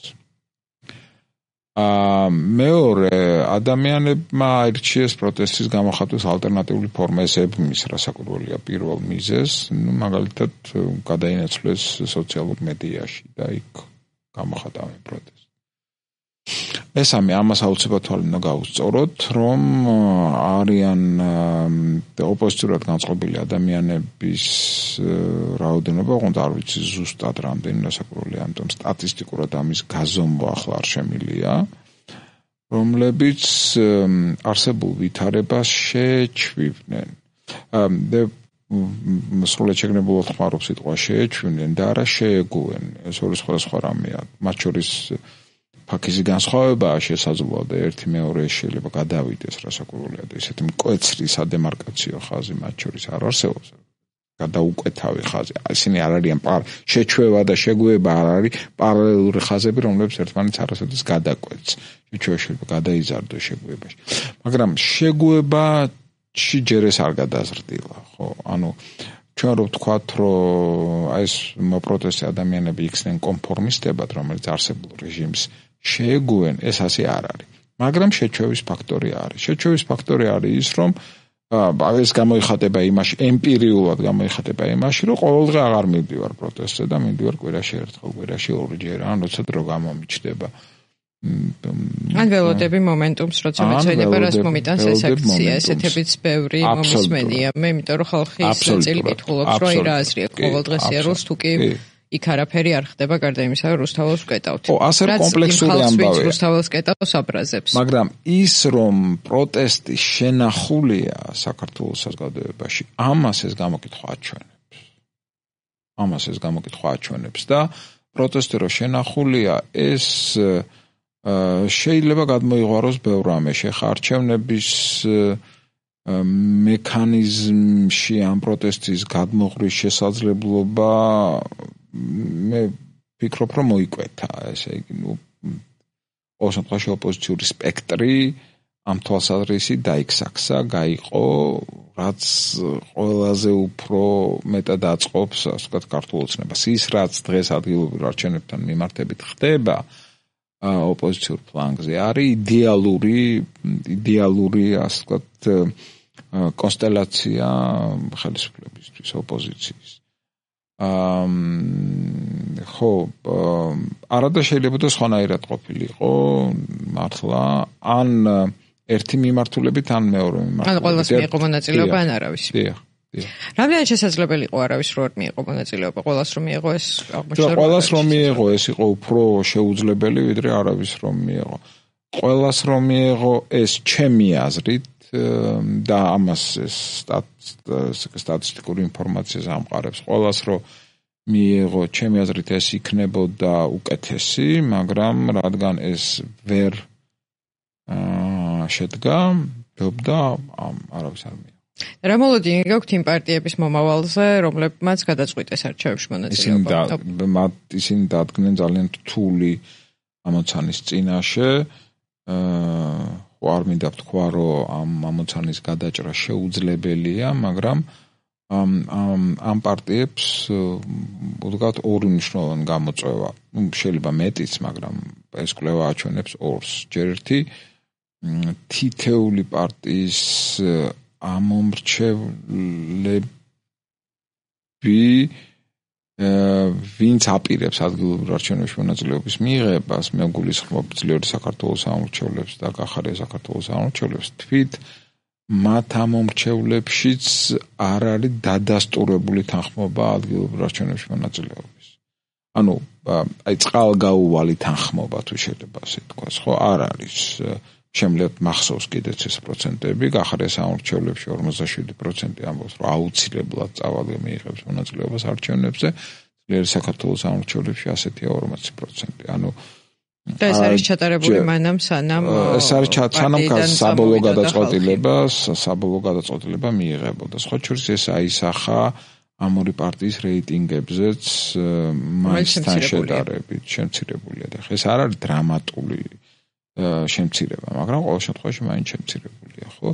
მეორე ადამიანებმა აირჩიეს პროტესტის გამოხატვის ალტერნატიული ფორმა, ეს ებმის რასაკვირველია პირველ მიზეზს, მაგალითად გადაინაცვლეს სოციალურ მედიაში და იქ გამოხატავენ პროტესტს. ესამე ამას აუცილებლად თვალე უნდა გაუსწოროთ, რომ არიან ოპოზიციურად განწყობილი ადამიანების რაოდენობა, ოღონდ არ ვიცი ზუსტად რამდენი რასაკვირველია, ამიტომ სტატისტიკურად ამის გაზომვა ახლა არ შემილია, რომლებიც არსებულ ვითარებას შეჩვივდნენ. სრულად შეგნებულად ხმარობ სიტყვა შეეჩვივნენ და არა შეეგუენ. ეს ორი სხვადასხვა რამეა. მათ შორის ფაქიზი განსხვავებაა შესაძლოა და ერთი მეორე შეიძლება გადავიდეს რასაკვირველია და ესეთი მკვეთრი სადემარკაციო ხაზი მათ შორის არ არსებობს. გადაუკვეთავი ხაზი. ისინი არ არიან შეჩვევა და შეგუება არ არის პარალელური ხაზები, რომლებიც ერთმანეთს არასოდეს გადაკვეთს. შეჩვევა შეიძლება გადაიზარდოს შეგუებაში. მაგრამ შეგუება ჯერ ეს არ გადაზრდილა, ხო? ანუ ჩვენ რო ვთქვათ, რომ აი ეს პროტესტი ადამიანები იქცნენ კონფორმისტებად, რომელიც არსებულ რეჟიმს შეეგუენ, ეს ასე არ არის. მაგრამ შეჩვევის ფაქტორი არის. შეჩვევის ფაქტორი არის ის, რომ ეს გამოიხატება იმაში, ემპირიულად გამოიხატება იმაში, რომ ყოველდღე აღარ მივდივარ პროტესტზე და მივდივარ კვირაში ერთხელ, კვირაში ორჯერ, ან როცა დრო გამომიჩნდება. ან ველოდები მომენტუმს, როცა მეცვენება რას მომიტანს ეს აქცია, ესეთებიც ბევრი მომისმენია. მე იმიტომ რომ ხალხი წელი კითხულობს, რომ აი რა აზრია ყოველდღე სიარულს თუ კი იქ არაფერი არ ხდება გარდა იმისა, რომ რუსთაველს ვკეტავთ. ასე კომპლექსური ამბავია. რუსთაველს კეტავს აბრაზებს. მაგრამ ის რომ პროტესტი შენახულია საქართველოს საზოგადოებაში, ამას ეს გამოკითხვა აჩვენებს. და პროტესტი რომ შენახულია, ეს შეიძლება გადმოიღვაროს ბევრ რამეში. ხა არჩევნების მექანიზმში ამ პროტესტის გადმოღრის შესაძლებლობა მე ვფიქრობ, რომ მოიკვეთა, ესე იგი, ყოველ შემთხვევაში ოპოზიციური სპექტრი ამ თვალსაზრისით დაიქსაქსა, გაიყო, რაც ყველაზე უფრო მეტად აწყობს, ასე ვთქვათ, ქართულ ოცნებას. ის რაც დღეს ადგილობრივ არჩევნებთან მიმართებით ხდება ოპოზიციურ ფლანგზე, არის იდეალური, ასე ვთქვათ, კონსტელაცია ხელისუფლებისთვის, ოპოზიციის. ხო, არადა შეიძლება და სხვანაირად ყოფილიყო, მართლა, ან ერთი მიმართულებით, ან მეორე მიმართულებით. ან ყველას მიიღო მონაწილეობა, ან არავის. დიახ. რამდენად შესაძლებელი იყო არავის რო არ მიიღო მონაწილეობა, ყველას რომ მიიღო ეს აღმოჩნდა. ყველას რომ მიიღო, ეს იყო უფრო შეუძლებელი, ვიდრე არავის რომ მიიღო. ყველას რომ მიიღო, ეს ჩემი აზრით და ამას სტატისტიკური ინფორმაციას ამყარებს. ყველას რომ მიიღო, ჩემი აზრით ეს იქნებოდა უკეთესი, მაგრამ რადგან ეს ვერ შედგა, ვფიქრობდა არავის არ მიიღო. რა მოლოდინი გაქვთ იმ პარტიების მომავალზე, რომლებმაც გადაწყვიტეს არჩევნებში მონაწილეობა? ისინი დადგნენ ძალიან რთული ამოცანის წინაშე. არ მინდა ვთქვა, რომ ამ ამოცანის გადაჭრა შეუძლებელია, მაგრამ ამ პარტიებს უდგათ ორი მნიშვნელოვანი გამოწვევა. შეიძლება მეტიც, მაგრამ ეს კვლევა აჩვენებს ორს. ჯერ ერთი თითეული პარტიის ამომრჩევლები ვინც აპირებს ადგილობრივ არჩევნებში მონაწილეობის მიღებას, მე გულისხმობ ძლიერი საქართველოს ამომრჩევლებს და გახარია საქართველოს ამომრჩევლებს, თვით მათ ამომრჩევლებშიც არ არის დადასტურებული თანხმობა ადგილობრივ არჩევნებში მონაწილეობის. ანუ აი წყალგაუვალი თანხმობა თუ შეიძლება ასე თქვას, ხო, არ არის. შემიძლია მახსოვს კიდეც ეს პროცენტები, გახარია სამომრჩევლებში 47% ამბობს, რომ აუცილებლად წავალ მიიღებს მონაწილეობას არჩევნებზე, ძლიერი საქართველოს სამომრჩევლებში ასეთია 40%. ანუ და ეს არის ჩატარებული მანამ სანამ საბოლოო გადაწყვეტილება მიიღებოდა. სხვა შორის ეს აისახა ამ ორი პარტიის რეიტინგებზეც მაინცთან შედარებით შემცირებულია და ეს არ არის დრამატული შემცირება, მაგრამ ყოველ შემთხვევაში მაინც შემცირებულია, ხო?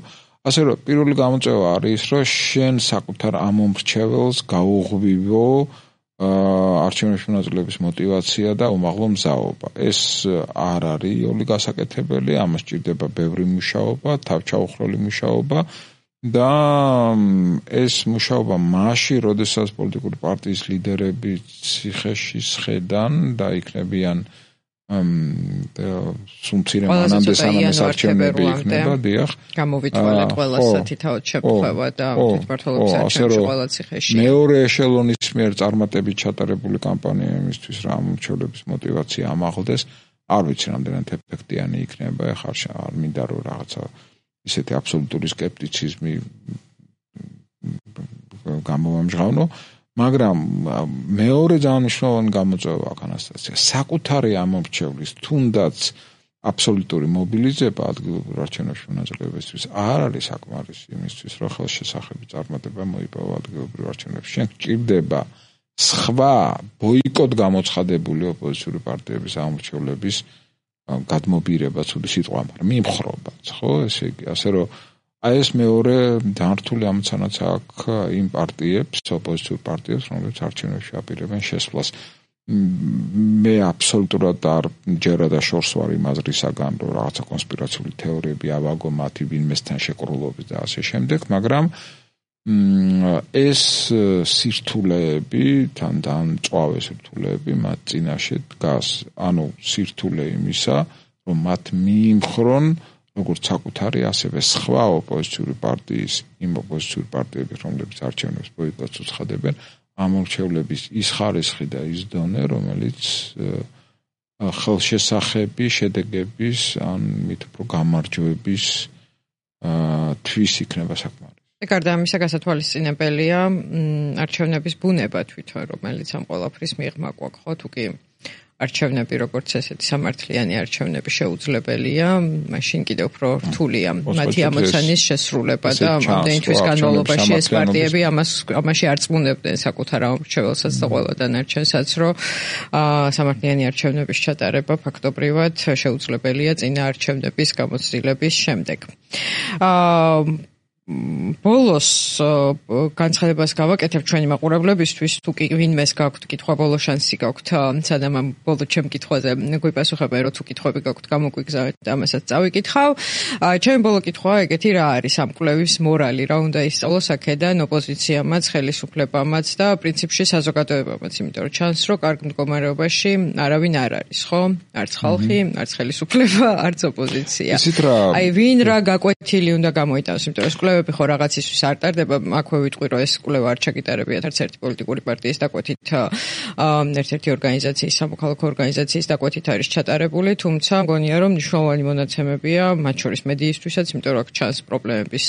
ასე რომ პირველი გამოწვევა არის, რომ შენ საკუთარ ამომრჩეველს გაუღვივო არჩევნებში მონაწილეობის мотиваცია და უმაღლო მზაობა. ეს არ არის იოლი გასაკეთებელი, ამას სჭირდება ბევრი მუშაობა, თავჩაუხროლი მუშაობა და ეს მუშაობა მაშინ, როდესაც პოლიტიკური პარტიის ლიდერები ციხეში სხედან და იქნებიან სუმცირე მანამდე სანამ ეს არჩევნები იქნება, დიახ. გამოვითვალეთ ყველასათი თავად შეფხვევა და თვითმმართველობის არჩევნებში ყველა ციხეში. მეორე ეშელონის მიერ წარმატებით ჩატარებული კამპანია იმისთვის, რომ ამომრჩევლების мотиваცია ამაღლდეს, არ ვიცი რამდენად ეფექტიანი იქნება, ეხლა არ მინდა რომ რაღაცა ისეთი აბსოლუტური სკეპტიციზმი გამოვამჟღავნო. მაგრამ მეორე ძალიან მნიშვნელოვანი გამოწვევა აქ ანასტასია. საკუთარი ამომრჩევლის თუნდაც აბსოლუტური მობილიზება ადგილობრივ არჩევნებში მონაწილეობისთვის არ არის საკმარისი იმისთვის, რომ ხელშესახები წარმატება მოიპოვა ადგილობრივ არჩევნებში. შენ გჭირდება სხვა ბოიკოტ გამოცხადებული ოპოზიციური პარტიების ამომრჩევლების გადმობირება, ცუდი სიტყვა, მაგრამ მიმხრობაც, ხო? ესე იგი, ასე რომ აი ეს მეორე დანართული ამოცანაც აქვს იმ პარტიებს, ოპოზიციურ პარტიებს, რომლებიც არჩევნებში აპირებენ შესვლას. მე აბსოლუტურად არ ჯერა და შორს ვარ იმ აზრისაგან, რომ რაღაცა კონსპირაციული თეორიები ავაგო მათი ვინმესთან შეკრულობის და ასე შემდეგ, მაგრამ ეს სირთულეები, თან მწვავე სირთულეები მათ წინაშე დგას. ანუ სირთულე იმისა, რომ მათ მიიმხრონ როგორც საკუთარი, ასევე სხვა ოპოზიციური პარტიის, იმ ოპოზიციური პარტიების, რომლებიც არჩევნებს ბოიკოტს უცხადებენ, ამორჩევლების ის ხარისხი და ის დონე, რომელიც ხელშესახები, შედეგების, ან მით უფრო გამარჯვების თვის იქნება საკმარისი. გარდა ამისა, გასათვალისწინებელია არჩევნების ბუნება თვითონ, რომელიც ამ ყველაფრის მიღმა გვაქვს, ხო, თუ კი არჩევნები როგორც ესეთი სამართლიანი არჩევნები შეუძლებელია, მაშინ კიდევ უფრო რთულია მათი ამოცანის შესრულება და ამდენი თვის განმავლობაში ეს პარტიები ამაში არ წმუნდებდნენ საკუთარ ამორჩეველსაც და ყველა დანარჩენსაც, რომ სამართლიანი არჩევნების ჩატარება ფაქტობრივად შეუძლებელია წინა არჩევნების გამოცდილების შემდეგ. ბოლოს განცხადებას გავაკეთებ ჩვენი მაყურებლებისთვის, თუ კი ვინმეს გაქვთ კითხვა, ბოლო შანსი გაქვთ, სანამ ამ ბოლო ჩემ კითხვაზე გვიპასუხებენ, რომ თუ კითხვები გაქვთ, გამოგვიგზავნეთ და ამასაც წავიკითხავ. ჩემი ბოლო კითხვა ეგეთი რა არის ამ კვლევის მორალი, რა უნდა ისწავლოს აქედან ოპოზიციამაც, ხელისუფლებამაც და პრინციპში საზოგადოებამაც, იმიტომ რომ ჩანს, რომ კარგ მდგომარეობაში არავინ არ არის, ხო? არც ხალხი, არც ხელისუფლება, არც ოპოზიცია. აი ვინ რა გაკვეთილი უნდა გამოიტანოს, იმიტომ რომ ხო რაღაცისთვის არ ტარდება, აქვე ვიტყვი, რომ ეს კვლევა არ ჩაგიტარებიათ არც ერთი პოლიტიკური პარტიის დაკვეთით, ერთ-ერთი ორგანიზაციის, სამოქალაქო ორგანიზაციის დაკვეთით არის ჩატარებული, თუმცა მგონია, რომ მნიშვნელოვანი მონაცემებია, მათ შორის მედიისთვისაც, იმიტომ რომ აქ ჩანს პრობლემების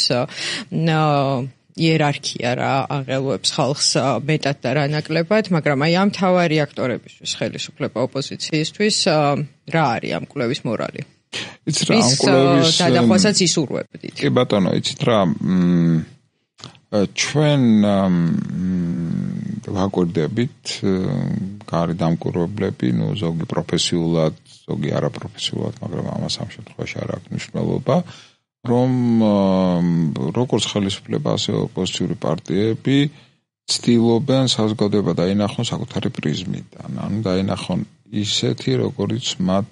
იერარქია რა აღელვებს ხალხს მეტად და რა ნაკლებად, მაგრამ აი ამ მთავარი აქტორებისთვის, ხელისუფლება ოპოზიციისთვის, რა არის ამ კვლევის მორალი? იცით რა ამ კვლევის დადახვასაც ისურვებდით. კი ბატონო, იცით რა ჩვენ ვაკვირდებით კარი დამკვირვებლები, ნუ ზოგი პროფესიულად, ზოგი არაპროფესიულად, მაგრამ ამას ამ შემთხვევაში არ აქვს მნიშვნელობა, რომ როგორც ხელისუფლება, ასევე ოპოზიციური პარტიები ცდილობენ საზოგადოება დაინახონ საკუთარი პრიზმიდან, ანუ დაინახონ ისეთი, როგორიც მათ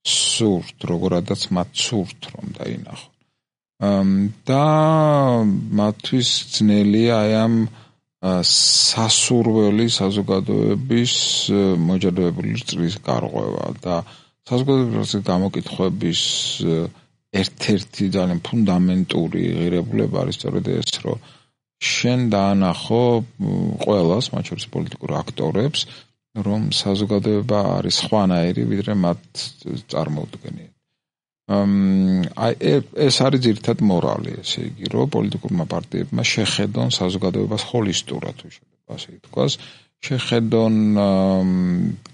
სურთ, როგორადაც მათ სურთ, რომ დაინახონ. და მათთვის ძნელია აი ამ სასურველი საზოგადოების მოჯადოებული წრის გარღვევა და საზოგადოების გამოკითხვების ერთ-ერთი ძალიან ფუნდამენტური ღირებულება არის სწორედ ეს, რომ შენ დაანახო ყველას, მათ შორის პოლიტიკურ აქტორებს, რომ საზოგადოება არის სხვანაირი, ვიდრე მათ წარმოუდგენია. აი ეს არის ძირითად მორალი, ესე იგი, რომ პოლიტიკურმა პარტიებმა შეხედონ საზოგადოებას ჰოლისტურად, თუ შეიძლება ასე ითქვას, შეხედონ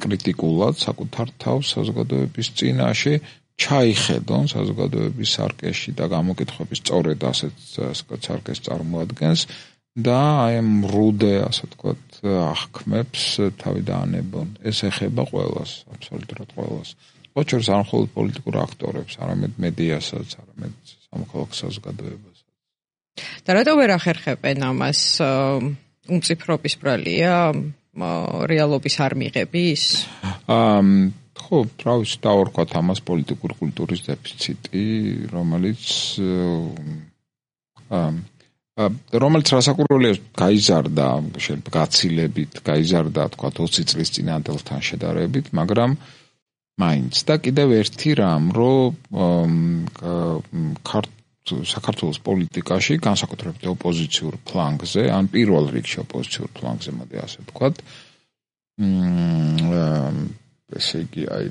კრიტიკულად საკუთარ თავს საზოგადოების წინაშე, ჩაიხედონ საზოგადოების სარკეში და გამოკითხვების სწორედ ასეთ სარკეს წარმოადგენს და აი ამ რუდე, ასე ვთქვათ, აღქმებს თავი დაანებონ. ეს ეხება ყველას, აბსოლუტურად ყველას. ოჩერს არ მხოლოდ პოლიტიკურ აქტორებს, არამედ მედიასაც, არამედ სამოქალაქო საზოგადოებასაც. და რატო ვერ ახერხებენ ამას? უმციფრობის ბრალია, რეალობის არ მიღების? ხო, რა ვიცი, დავარქვათ ამას პოლიტიკური კულტურის დეფიციტი, რომელიც რასაკვირველია გაიზარდა, შეიძლება გაცილებით გაიზარდა, თქვა 20 წლის წინანდელთან შედარებით, მაგრამ მაინც და კიდევ ერთი რამ, რომ საქართველოს პოლიტიკაში, განსაკუთრებით ოპოზიციურ ფლანგზე, ან პირველ რიგში ოპოზიციურ ფლანგზე, მოდი ასე ვთქვათ, ესე იგი, აი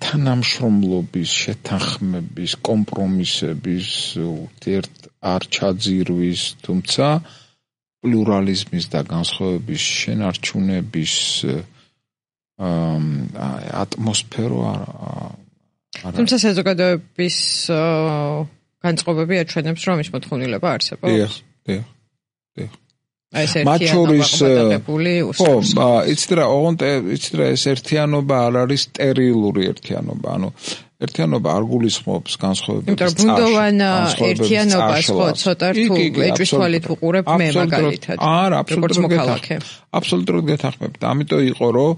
თანამშრომლობის, შეთანხმების, კომპრომისების ურთიერთ არ ჩაძირვის, თუმცა პლურალიზმის და განსხვავების შენარჩუნების ატმოსფერო თუმცა საზოგადოების განწყობები აჩვენებს, რომ ის მოთხოვნილება არსებობს. დიახ. მათ შორის იცით რა, ეს ერთიანობა არ არის სტერილური ერთიანობა, ანუ ერთიანობა არ გულისხმობს განსხვავებების წაშლას. იმიტომ ბუნდოვან ერთიანობას ხო ცოტა რთულ ეჭვის თვალით უყურებ მე მაგალითად. არა, აბსოლუტურად გეთანხმებით. ამიტომ იყო რომ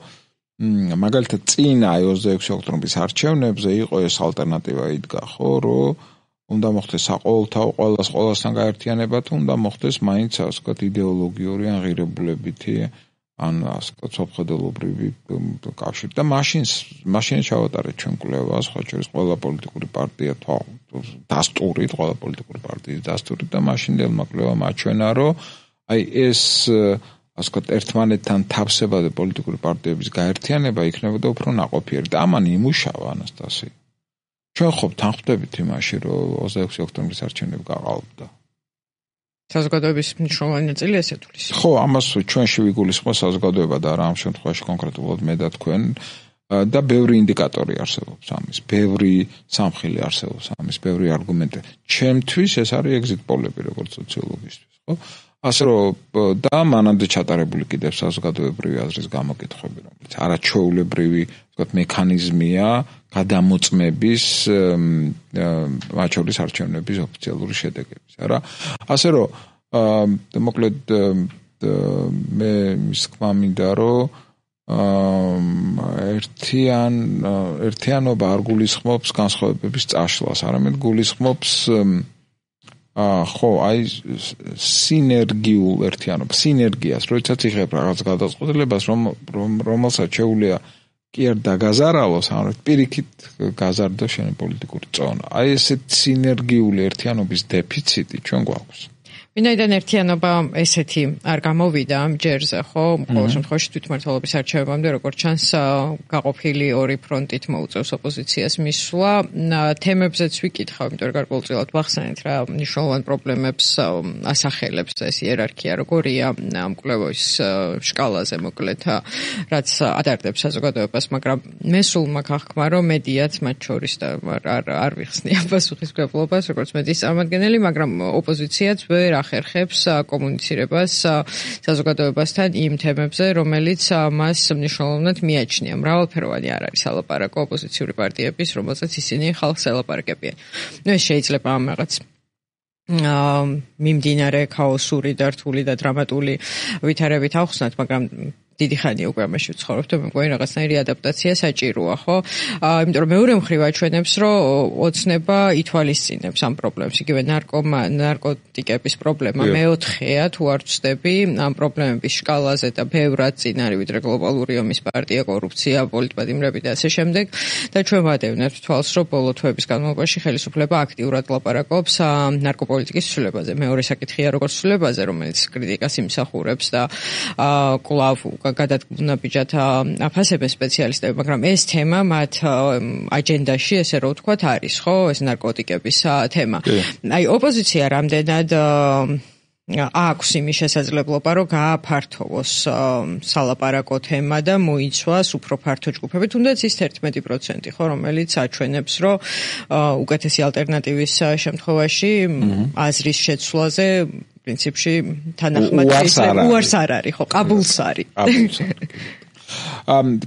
მაგალითად წინა 26 ოქტომბრის არჩევნებზე იყო ეს ალტერნატივა იდგა ხო რომ უნდა მოხდეს საყოველთაო ყველასთან გაერთიანება თუ უნდა მოხდეს მაინც ასე ვთქვათ იდეოლოგიური ან ღირებულებითი ან ასე ვთქვათ სოფხედელობრივი კავშირი და მაშინ ჩავატარეთ ჩვენ კვლევას ხო შორის ყველა პოლიტიკური პარტია დასტურით ყველა პოლიტიკური პარტიის დასტურით და მაშინდელმა კვლევამ აჩვენა რომ აი ეს ასე ვთქვათ ერთმანეთთან თავსებადი პოლიტიკური პარტიების გაერთიანება იქნებოდა უფრო ნაყოფიერი და ამან იმუშავა ანასტასი ჩვენ ხო თანხმდებით იმაში რომ 26 ოქტომბრის არჩევნები გაყალბდა საზოგადოების მნიშვნელოვანი ნაწილი ესე თulis ხო ამას ჩვენში ვიგულისხმოთ საზოგადოება და რა ამ შემთხვევაში კონკრეტულად მე და თქვენ და ბევრი ინდიკატორი არსებობს ამის ბევრი სამხილი არსებობს ამის ბევრი არგუმენტი ჩემთვის ეს არის ეგზიტ პოლები როგორც სოციოლოგისთვის ხო ასე რომ და მანამდე ჩატარებული კიდევ საზოგადოებრივი აზრის გამოკითხვები რომელიც არაჩვეულებრივი ვთქვათ მექანიზმია გადამოწმების მათ შორის არჩევნების ოფიციალური შედეგების არა ასე რომ მოკლედ მე ის თქმა მინდა რომ ერთიანობა არ გულისხმობს განსხვავებების წაშლას არამედ გულისხმობს ხო აი სინერგიულ ერთიანობას სინერგიას როდესაც იღებ რაღაც გადაწყვეტილებას რომელსაც შეუძლია კი არ დაგაზარალოს ან პირიქით გაზარდო შენი პოლიტიკური წონა აი ესეთ სინერგიული ერთიანობის დეფიციტი ჩვენ გვაქვს ვინაიდან ერთიანობა ესეთი არ გამოვიდა ამ ჯერზე, ხო? ყოველ შემთხვევაში თვითმმართველობის არჩევებამდე, როგორც ჩანს, გაყოფილი ორი ფრონტით მოუწევს ოპოზიციას მისვლა. თემებზეც ვიკითხავ, იმიტომ რომ გარკვეულწილად ვახსენეთ რა მნიშვნელოვან პრობლემებს ასახელებს ეს იერარქია, როგორია ამ კვლევის სკალაზე მოკლედ, რაც ადარდებს საზოგადოებას, მაგრამ მე სულ მაქვს აღქმა, რომ მედიაც მათ შორის და არ ვიხსნია პასუხისმგებლობას, როგორც მედიის წარმომადგენელი, მაგრამ ოპოზიციაც ვერ ახერხებს კომუნიცირებას საზოგადოებასთან იმ თემებზე, რომელიც მას მნიშვნელოვნად მიაჩნია. მრავალფეროვანი არ არის ალაპარაკო ოპოზიციური პარტიების, რომელსაც ისინი ხალხს ელაპარაკებიან. ეს შეიძლება ამ რაღაც მიმდინარე ქაოსური და რთული და დრამატული ვითარებით ახსნათ, მაგრამ დიდი ხანია უკვე ამაში ვცხოვრობ და მე მგონი რაღაცნაირი ადაპტაცია საჭიროა, ხო? იმიტომ რომ მეორე მხრივ აჩვენებს, რომ ოცნება ითვალისწინებს ამ პრობლემს. იგივე ნარკოტიკების პრობლემა მეოთხეა, თუ არ ვწდები, ამ პრობლემების სკალაზე და ბევრად წინ არის ვიდრე გლობალური ომის პარტია, კორუფცია, პოლიტპატიმრები და ასე შემდეგ. და ჩვენ ვადევნებთ თვალს, რომ ბოლო თვეების განმავლობაში ხელისუფლება აქტიურად ლაპარაკობს ნარკოპოლიტიკის ცვლილებაზე. მეორე საკითხია როგორც ცვლილებაზე, რომელიც კრიტიკას იმსახურებს და კვლავ გადადგმუნებიჯად აფასებენ სპეციალისტები, მაგრამ ეს თემა მათ აჯენდაში, ესე რომ ვთქვათ, არის, ხო, ეს ნარკოტიკების თემა. აი, ოპოზიცია რამდენად აქვს იმის შესაძლებლობა, რომ გააფართოვოს სალაპარაკო თემა და მოიცვას უფრო ფართო ჯგუფები, თუნდაც ის 11%, ხო, რომელიც აჩვენებს, რომ უკეთესი ალტერნატივის შემთხვევაში აზრის შეცვლაზე პრინციპში თანახმად უარს არ არის, ხო, ყაბულს არის.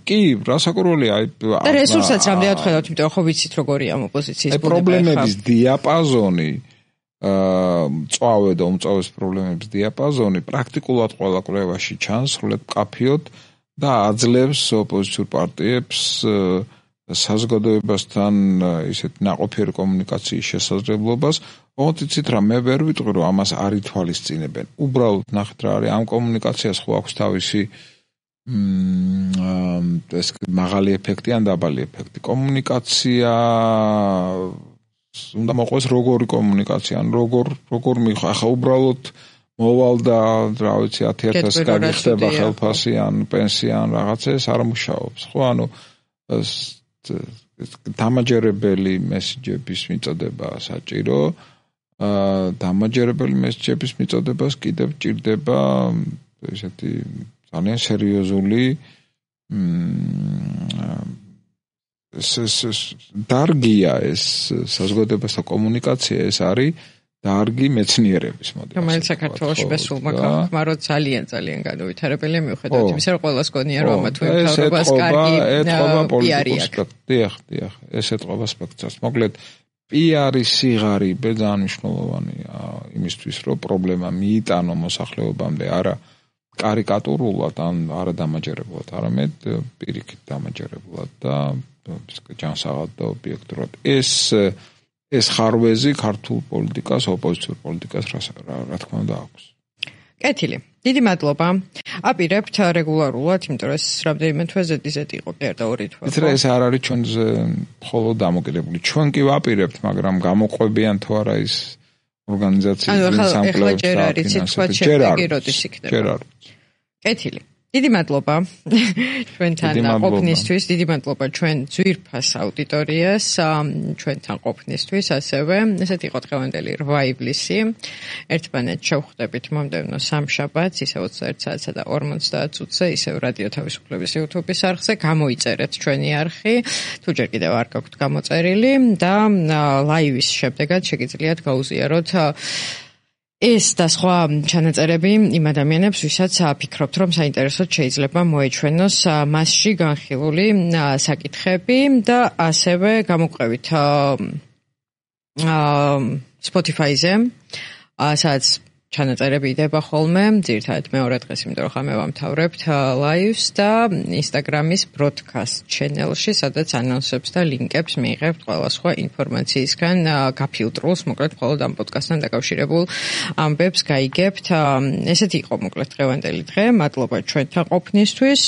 კი, რასაკვირველია, აი და რესურსაც რამდენად ხედავთ, იმიტომ რომ ხო ვიცით როგორია ამ ოპოზიციის ბუნება. პრობლემების დიაპაზონი წავე და უმწავეს პრობლემების დიაპაზონი პრაქტიკულად ყველა კვლევაში ჩანს, სრულად მკაფიოდ და აძლევს ოპოზიციურ პარტიებს საზოგადოებასთან ისეთ ნაყოფიერი კომუნიკაციის შესაძლებლობას. ოცით რა მე ვერ ვიტყვი რომ ამას არ ითვალისწინებენ. უბრალოდ ნახეთ რა არის ამ კომუნიკაციას ხო აქვს თავისი ეს მაღალი ეფექტი ან დაბალი ეფექტი. კომუნიკაცია უნდა მოყვეს როგორი კომუნიკაცია, ან როგორ მიხა, ახლა უბრალოდ მოვალ და რა ვიცი 10,000 გაგიხდება ხელფასი ან პენსია ან რაღაცა ეს არ მუშაობს. ხო, ანუ დამაჯერებელი მესიჯების მიწოდება საჭირო. დამაჯერებელი მესიჯების მიწოდებას კიდევ ჭირდება ესეთი ძალიან სერიოზული დარგია ეს საზოგადოებასთან კომუნიკაცია ეს არის დარგი მეცნიერების მოდი. რომელიც საქართველოში besულმა ხმა რო ძალიან განუვითარებელია მიუხედავად იმისა, რომ ყველას გონია რომ ამა თუ იმ თავრობას კარგი პიარი აქვს. დიახ, ეს ეთყობა სპექტრს. მოკლედ პიარის სიღარიბე ძალიან მნიშვნელოვანია იმისთვის, რომ პრობლემა მიიტანო მოსახლეობამდე არა კარიკატურულად ან არა დამაჯერებლად, არამედ პირიქით დამაჯერებლად და ჯანსაღად და ობიექტურად. ეს ხარვეზი ქართულ პოლიტიკას, ოპოზიციურ პოლიტიკას რა თქმა უნდა აქვს. კეთილი. დიდი მადლობა. აპირებთ რეგულარულად, იმიტომ რომ ეს რამდენიმე თვე ზედიზედ იყო კი არა 2 თვე. იცი რა ეს არ არის ჩვენზე მხოლოდ დამოკიდებული. ჩვენ კი ვაპირებთ, მაგრამ გამოყვებიან თუ არა ის ორგანიზაციების სამკლაურს ჯერ არის თქვა შეფიგიროდის იქნება. ჯერ არის. კეთილი. დიდი მადლობა ჩვენთან ყოფნისთვის, დიდი მადლობა ჩვენ ძვირფას აუდიტორიას ჩვენთან ყოფნისთვის, ასევე ესეთ იყო დღევანდელი 8 ივლისი. ერთმანეთს შევხვდებით მომდევნო სამშაბათს, ისე 21 საათსა და 50 წუთზე, ისევ რადიო თავისუფლების YouTube-ის არხზე. გამოიწერეთ ჩვენი არხი, თუ ჯერ კიდევ არ გაქვთ გამოწერილი და ლაივის შემდეგაც შეგიძლიათ გაუზიაროთ ეს და სხვა ჩანაწერები იმ ადამიანებს, ვისაც ფიქრობთ, რომ საინტერესოდ შეიძლება მოეჩვენოს მასში განხილული საკითხები და ასევე გამოგვყევით Spotify-ზე, სადაც ჩანაწერები იდება ხოლმე, ძირითადად მეორე დღეს, იმიტომ რომ ხამე ვამთავრებთ live-ს და Instagram-ის broadcast channel-ში, სადაც ანონსებს და ლინკებს მიიღებთ ყველა სხვა ინფორმაციისგან გაფილტრულს, მოკლედ მხოლოდ ამ პოდკასტთან დაკავშირებულ ამბებს გაიგებთ. ესეთი იყო მოკლედ დღევანდელი დღე. მადლობა ჩვენთან ყოფნისთვის.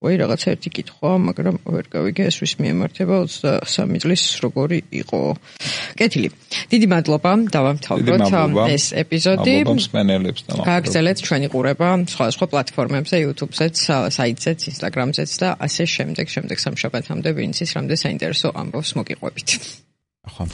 რაღაც ერთი კითხვა, მაგრამ ვერ გავიგე ეს ვის მიემართება 23 წლის როგორი იყო. კეთილი. დიდი მადლობა დავამთავროთ ეს ეპიზოდი. გააგრძელეთ ჩვენი ყურება სხვა პლატფორმებზე, YouTube-ზეც, საიტზეც, Instagram-ზეც და ასე შემდეგ სამშაბათამდე ვინც ის რამდენ საინტერესო ამბავს მოგიყვებით. ახლა